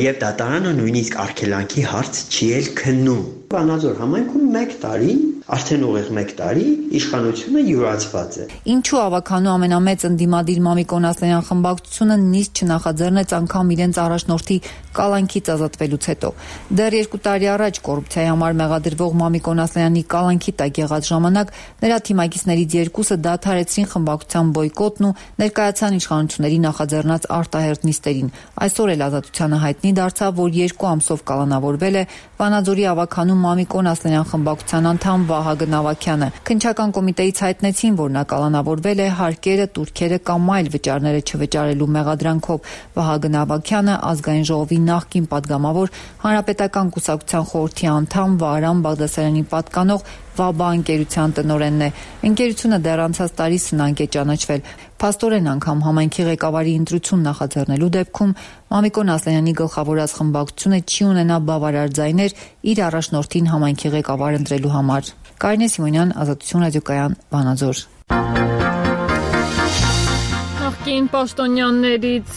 G: եւ դատարանը նույնիսկ արգելանքի հարց չի էլ քննում։ Վանաձոր համայնքում 1 տարի, արդեն ուղիղ 1 տարի իշխանությունը յուրացված է։
C: Ինչու ավականու ամենամեծ ընդդիմադիր Մամիկոն Ասլանյան խմբակցությունը նիստ չնախաձեռնեց անգամ իրենց առաջնորդի կալանքից ազատվելուց հետո։ Դեռ 2 տարի առաջ կոռուպցիայի համար մեղադրվող Մամիկոն Ասլանյանի կալանքի տակ եղած ժամանակ նրա թիմակիցներից 2-ը դադարեցրին խմբակցության բոյկոտն ու ներկայացան իշխանությունների նախաձեռնած արտահերթ նիստերին։ Այսօր էլ ազատությանը հայտնի դարձավ, որ 2 ամսով կալանավորվել է Վանաձորի ավականու Մամիկոն Ասլանյան խմբակցության անդամ Վահագն Ավագյանը։ Քննչական կոմիտեից հայտնեցին, որ նա կալանավորվել է հարկերը, տուրքերը կամ այլ վճարները չվճարելու մեղադրանքով։ Վահագն Ավագյանը ազգային ժողովի նախկին падգամավոր, հանրապետական կուսակցության խորհրդի անդամ, Վահրամ Բաղդասարյանի պատկանող ՎԱԲԱ ընկերության տնօրենն է։ Ընկերությունը դեռ անցած տարի սնանկ է ճանաչվել։ Փաստորեն անգամ համայնքի ղեկավարի ընտրություն նախաձեռնելու դեպքում Մամիկոն Ասլանյանի գլխավորած խմբակցությունը չի ունենա բավարար ձայներ իր առաջնորդին համայնքի ղեկավար ընտրելու համար։ Կարինե Սիմոնյան, Ազատություն ռադիոկայան, Վանաձոր։
B: Նախկին պաշտոնյաներից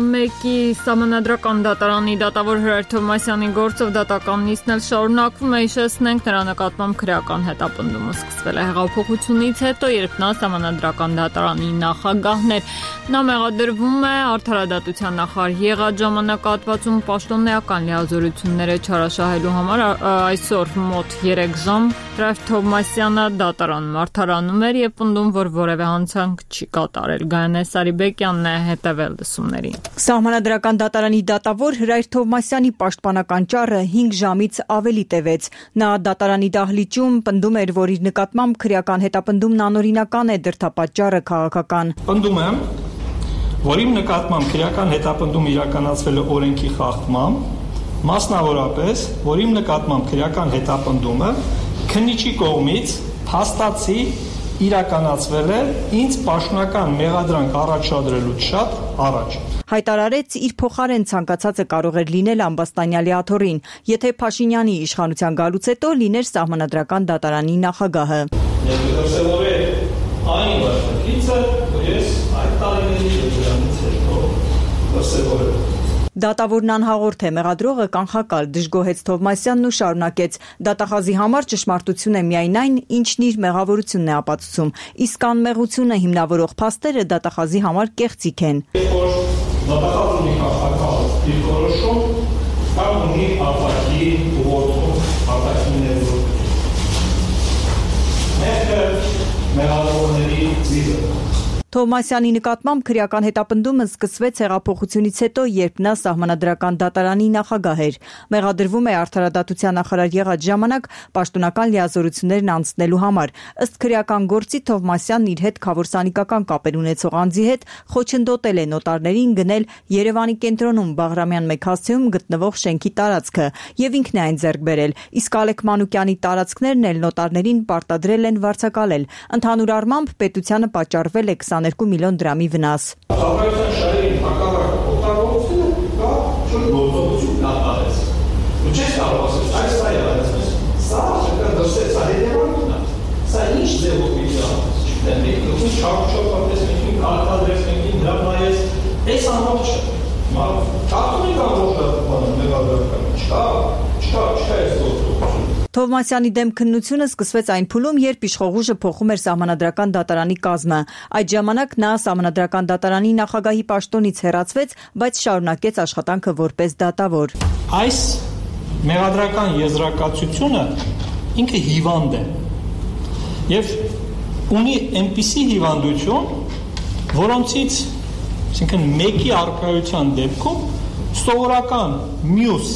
B: մեկի սահմանադրական դատարանի դատավոր Հրայր Թովմասյանի գործով դատական նիստն էլ շարունակվում է, հիշեցնենք, նրա նկատմամբ քրեական հետապնդումը սկսվել է հեղափոխությունից հետո, երբ նա սահմանադրական դատարանի նախագահն էր։ Նա մեղադրվում է արդարադատության նախարար եղած ժամանակահատվածում պաշտոնեական լիազորությունները չարաշահելու համար։ Այսօր մոտ 3 ժամ Հրայր Թովմասյանը դատարանում արդարանում էր եւ պնդում, որ որևէ հանցանք չի կատարել։ Գայանե Սարիբեկյանն է հետևել լսումներին։
N: Սահմանադրական դատարանի դատավոր Հրայր Թովմասյանի պաշտպանական ճառը 5 ժամից ավելի տևեց։ Նա դատարանի դահլիճում պնդում էր, որ իր նկատմամբ քրեական հետապնդումն անօրինական է, դրդապատճառը քաղաքական։
L: Պնդում եմ, որ իմ նկատմամբ քրեական հետապնդում իրականացվել է օրենքի խախտմամբ, մասնավորապես, որ իմ նկատմամբ քրեական հետապնդումը քննիչի կողմից փաստացի իրականացվել է ինձ պաշտոնական մեղադրանք առաջադրելուց շատ առաջ։
N: Հայտարարեց իր փոխարեն ցանկացածը կարող էր լինել Ամբաստանյալի աթոռին, եթե Փաշինյանի իշխանության գալուց հետո լիներ սահմանադրական դատարանի նախագահը։
L: Այն վարչակիցը, որ ես այդ տարիների դրանից հետո դրսևորել։
N: Դատավորն անհաղորդ է, մեղադրողը կանխակալ, դժգոհեց Թովմասյանն ու շարունակեց։ Դատախազի համար ճշմարտություն է միայն այն, ինչն իր մեղավորությունն է ապացուցում, իսկ անմեղությունը հիմնավորող փաստերը դատախազի համար կեղծիք են։
L: Դատախազը ունի կանխակալ դիրքորոշում կամ ունի արտաքին ուղղորդում, արտաքին ներդրում։ Մեղքը մեղավորների ծիլը։
N: Թովմասյանի նկատմամբ քրեական հետապնդումը սկսվեց հեղափոխությունից հետո, երբ նա սահմանադրական դատարանի նախագահ էր։ Մեղադրվում է արդարադատության նախարար եղած ժամանակ պաշտոնական լիազորություններն անցնելու համար։ Ըստ քրեական գործի Թովմասյանն իր հետ քավորսանիկական կապեր ունեցող անձի հետ խոչընդոտել է նոտարներին գնել Երևանի կենտրոնում Բաղրամյան մեքասեում գտնվող շենքի տարածքը եւ ինքն է այն ձեռք բերել, իսկ Ալեք Մանուկյանի տարածքներն էլ նոտարներին պարտադրել են վարձակալել։ Ընդհանուր առմամբ պետությանը պատճառվել է 22 միլիոն դրամի վնաս։
L: Քաղաքական շահերի հակառակ օգտագործումը կա շուտ գործողություն կատարեց։ Ու չես կարող ասել, այս սա եղած, սա դրսեց հետևանքն է։ Սա ինչ ձևով պիտի անես։ Չգիտեմ, մենք ուղղակի չափչոփապես մենք կարգադրես, մենք դրա նայես, այս ամբողջը։ Ճարտունի կամ ոչ մեղադրական չկա այս գործողությունը։
N: Թովմասյանի դեմ քննությունը սկսվեց այն փուլում, երբ իշխող ուժը փոխում էր սահմանադրական դատարանի կազմը։ Այդ ժամանակ նա սահմանադրական դատարանի նախագահի պաշտոնից հեռացվեց, բայց շարունակեց աշխատանքը որպես դատավոր։
L: Այս մեղադրական եզրակացությունը ինքը հիվանդ է։ Եվ ունի այնպիսի հիվանդություն, որոնցից, այսինքն մեկի առկայության դեպքում սովորական մյուս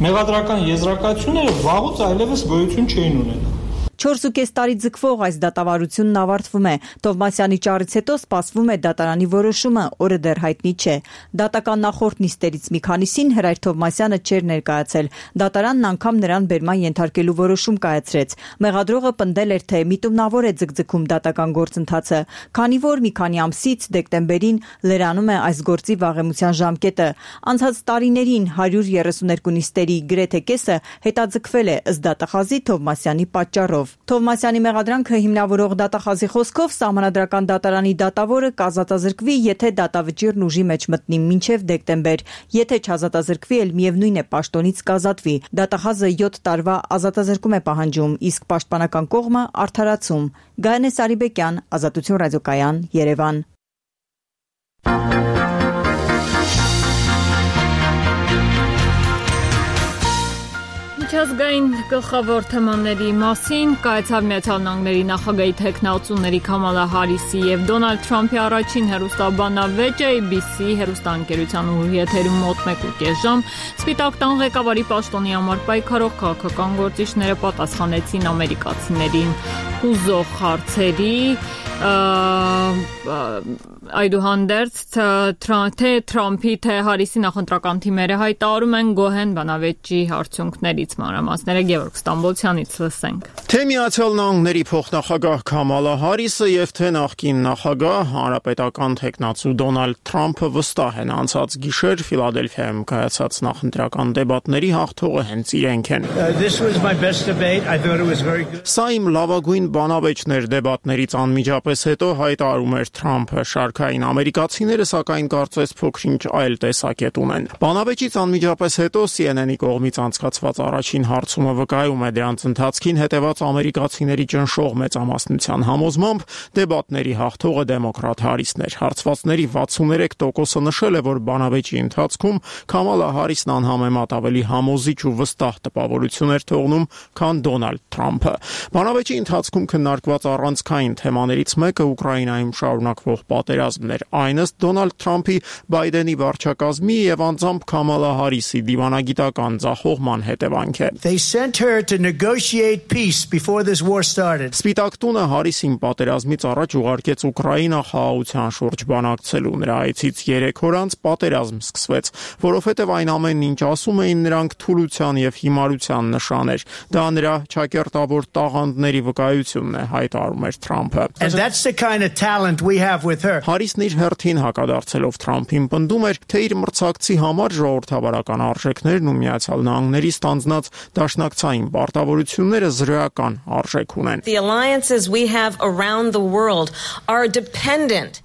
L: մեղադրական եզրակացությունները վաղուց այլևս գոյություն չէին ունենա։
N: 4.5 տարի ձգվող այս դատավարությունն ավարտվում է։ Թովմասյանի ճառից հետո սպասվում է դատարանի որոշումը, օրը դեռ հայտնի չէ։ Դատական նախորդ նիստերից մի քանիսին Հրայր Թովմասյանը չէր ներկայացել։ Դատարանն անգամ նրան բերման ենթարկելու որոշում կայացրեց։ Մեղադրողը պնդել էր, թե միտումնավոր է ձգձգում դատական գործընթացը, քանի որ մի քանի ամսից դեկտեմբերին լրանում է այս գործի վաղեմության ժամկետը։ Անցած տարիներին 132 նիստերի գրեթե կեսը հետաձգվել է ըստ դատախազի Թովմասյանի պատճառով։ Թովմասյանի մեղադրանքը հիմնավորող դատախազի խոսքով սահմանադրական դատարանի դատավորը կազատազրկվի, եթե դատավճիռն ուժի մեջ մտնի մինչև դեկտեմբեր, եթե չազատազրկվի, էլ միևնույն է պաշտոնից կազատվի։ Դատախազը 7 տարվա ազատազրկում է պահանջում, իսկ պաշտպանական կողմը արդարացում։ Գայանե Սարիբեկյան, Ազատություն ռադիոկայան, Երևան։
B: Միջազգային գլխավոր թեմաների մասին կայացավ Միացյալ Նահանգների նախագահի թեկնածուների Քամալա Հարիսի եւ Դոնալդ Թրամփի առաջին հեռուստաբանավեճը ABC հեռուստաընկերության եթերում մոտ 1.5 ժամ Սպիտակ տան ղեկավարի պաշտոնի համար պայքարող քաղաքական գործիչները պատասխանեցին ամերիկացիներին հուզող հարցերի այդուհանդերձ թե Թրամփի թե Հարիսի նախընտրական թիմերը հայտարարում են գոհ են բանավեճի արդյունքներից մանրամասները Գևորգ Ստամբոլցյանից լսենք։
J: Թե Միացյալ Նահանգների փոխնախագահ Քամալա Հարիսը եւ թե նախկին նախագահ հանրապետական թեկնածու Դոնալդ Թրամփը վստահ են անցած գիշեր Ֆիլադելֆիայում կայացած նախընտրական դեբատների հաղթողը հենց իրենք են։ Սա իմ լավագույն բանավեճն էր դեբատներից անմիջապես հետո հայտարարում էր Թրամփը։ Շարքային ամերիկացիները սակայն կարծես փոքրինչ այլ տեսակետ ունեն։ Բանավեճից անմիջապես հետո CNN-ի կողմից անցկացված առաջին հարցումը վկայում է դրանց ընթացքին հետևած ամերիկացիների ճնշող մեծամասնության համոզմամբ դեբատների հաղթողը դեմոկրատ Հարիսն էր։ Հարցվածների 63%-ը նշել է, որ բանավեճի ընթացքում Քամալա Հարիսն անհամեմատ ավելի համոզիչ ու վստահ տպավորություն էր թողնում, քան Դոնալդ Թրամփը։ Բանավեճի ընթացքում քննարկված առանցքային թեմաներից մեկը Ուկրաինայում շարունակվող պատերազմն էր։ Այն ըստ Դոնալդ Թրամփի, Բայդենի վարչակազմի եւ անձամբ Քամալա Հարիսի դիվանագիտական ձախողման հետևանք է։ Սպիտակ տունը Հարիսին պատերազմից առաջ ուղարկեց Ուկրաինա խաղաղության շուրջ բանակցելու։ Նրա այցից 3 օր անց պատերազմ սկսվեց, որովհետև այն ամենն ինչ ասում էին նրանք թուլության եւ հիմարության նշան էր։ Դա նրա ճակերտավոր տաղանդների վկայությունն է, հայտարարում էր Թրամփը։ Հարիսն իր հերթին հակադարձելով Թրամփին պնդում էր, թե իր մրցակցի համար ժողովրդավարական արժեքներն ու Միացյալ Նահանգների ստանձնած դաշնակցային պարտավորությունները զրոյական արժեք ունեն։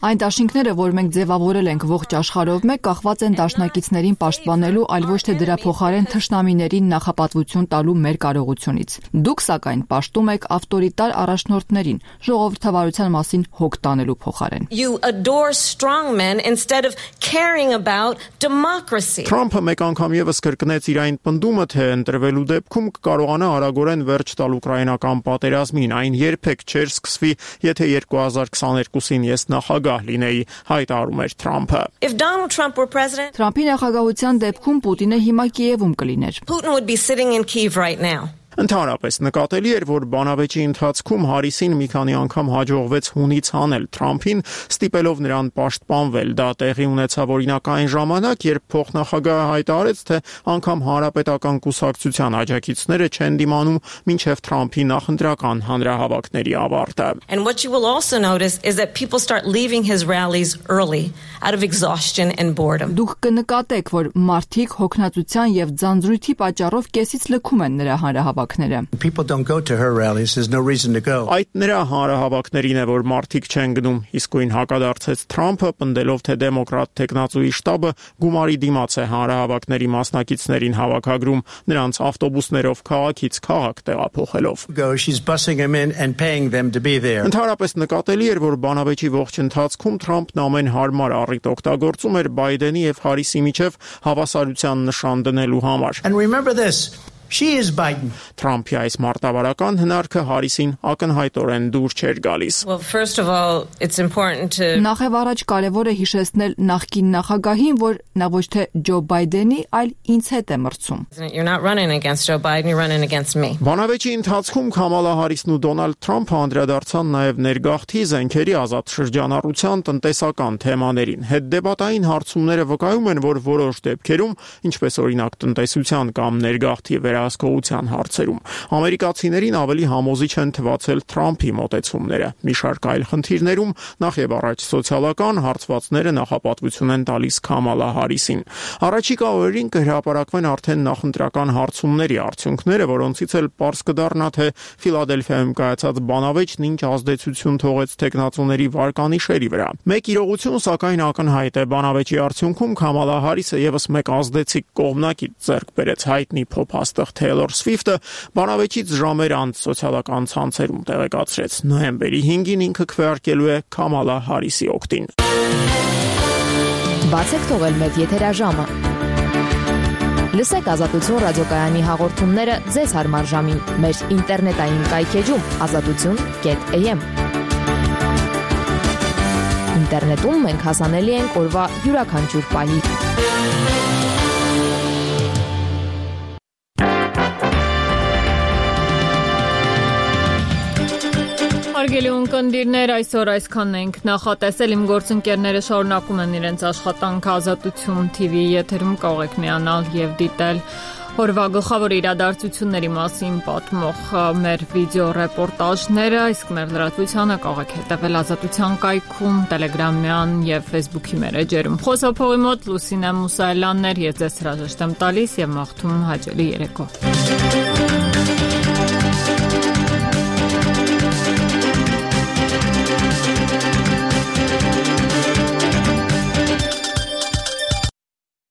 K: Այն դաշինքները, որ մենք ձևավորել ենք ողջ աշխարհով մեկ, կախված են դաշնակիցներին պաշտպանելու, այլ ոչ թե դրա փոխարեն թշնամիներին նախապատվություն տալու մեր կարողությունից։ Դուք սակայն պաշտում եք ավտորիտար առաջնորդներին, ժողովրդավարության մասին հոգ տանելու փոխարեն։
J: Թրամփը մեկ անգամ եւս կրկնեց իր այն պնդումը, թե ընտրվելու դեպքում կկարողանա արագորեն վերջ տալ ուկրաինական պատերազմին, այն երբեք չէր սկսվի, եթե 2022-ին ես նախագահ լինեի, հայտարարում էր Թրամփը։
K: Թրամփի նախագահության դեպքում Պուտինը հիմա Կիևում կլիներ։
J: Ընդհանրապես նկատելի էր, որ բանավեճի ընթացքում Հարիսին մի քանի անգամ հաջողվեց հունից հանել Թրամփին, ստիպելով նրան պաշտպանվել։ Դա տեղի ունեցավ օրինակ այն ժամանակ, երբ փոխնախագահը հայտարարեց, թե անգամ հանրապետական կուսակցության աջակիցները չեն դիմանում մինչև Թրամփի նախընտրական հանրահավաքների ավարտը։
K: Դուք կնկատեք, որ մարդիկ հոգնածության եւ ձանձրույթի պատճառով կեսից լքում են նրա հանրահավաքները։
J: Այդ նրա հանրահավաքներին է, որ մարդիկ չեն գնում, իսկույն հակադարձեց Թրամփը, պնդելով, թե դեմոկրատ թեկնածուի շտաբը գումարի դիմաց է հանրահավաքների մասնակիցներին հավաքագրում, նրանց ավտոբուսներով քաղաքից քաղաք տեղափոխելով։ Ընդհանրապես նկատելի էր, որ բանավեճի ողջ ընթացքում Թրամփն ամեն հարմար առիթ օգտագործում էր Բայդենի եւ Հարիսի միջև հավասարության նշան դնելու համար։
I: She is Biden.
J: Թրամփի այս մարտավարական հնարքը Հարիսին ակնհայտորեն դուր չէր գալիս.
M: Well, first of all, it's important to
K: Նախև առաջ կարևոր է հիշեցնել նախկին նախագահին, որ նա ոչ թե Ջո Բայդենի, այլ ինձ հետ է մրցում.
M: You're not running against Joe Biden, you're running against me.
J: Բանավեճի ընթացքում Քամալա Հարիսն ու Դոնալդ Թրամփը անդրադարձան նաև ներգաղթի, զենքերի ազատ շրջանառության, տնտեսական թեմաներին։ Հետդեպատային հարցումները վկայում են, որ որոշ դեպքերում, ինչպես օրինակ տնտեսության կամ ներգաղթի վերահսկողության հարցերում, ամերիկացիներին ավելի համոզիչ են թվացել Թրամփի մոտեցումները։ Մի շարք այլ խնդիրներում, նախ եւ առաջ սոցիալական հարցվածները նախապատվություն են տալիս Քամալա Հարիսին։ Առաջիկա օրերին կհրապարակվեն արդեն նախընտրական հարցումների արդյունքները, որոնցից էլ պարզ կդառնա, թե Ֆիլադելֆիայում կայացած բանավեճն ինչ ազդեցություն թողեց տեխնացուների վարկանիշերի վրա։ Մեկ իրողություն, սակայն ակնհայտ է, բանավեճի արդյունքում Քամալա Հարիսը եւս մեկ ազդեցիկ կողմնակից ձեռք բերեց հայտնի փոփաստղ Թեյլոր Սվիֆթը, բանավեճից ժամեր անց սոցիալական ցանցերում տեղեկացրեց. նոյեմբերի 5-ին ինքը քվեարկելու է Քամալա Հարիսի օգտին։
O: Բացեք թողել մեծ եթերաժամը։ Լսեք Ազատություն ռադիոկայանի հաղորդումները ձեզ հարմար ժամին մեր ինտերնետային կայքեջում azatutun.am։ Ինտերնետում մենք հասանելի ենք օրվա յուրաքանչյուր պահի։
B: Հարգելի ունկնդիրներ, այսօր այսքանն ենք նախատեսել։ Իմ գործընկերները շարունակում են իրենց աշխատանքը Ազատություն TV եթերում, կարող եք միանալ եւ դիտել օրվա գլխավոր իրադարձությունների մասին պատմող մեր վիդեո ռեպորտաժները, իսկ մեր լրատվությանը կարող եք հետևել Ազատության կայքում, Telegram-յան եւ Facebook-ի մեր էջերում։ Խոսափողի մոտ Լուսինե Մուսայելյանն էր, ես ձեզ հրաժեշտ եմ տալիս եւ մաղթում հաճելի երեկո։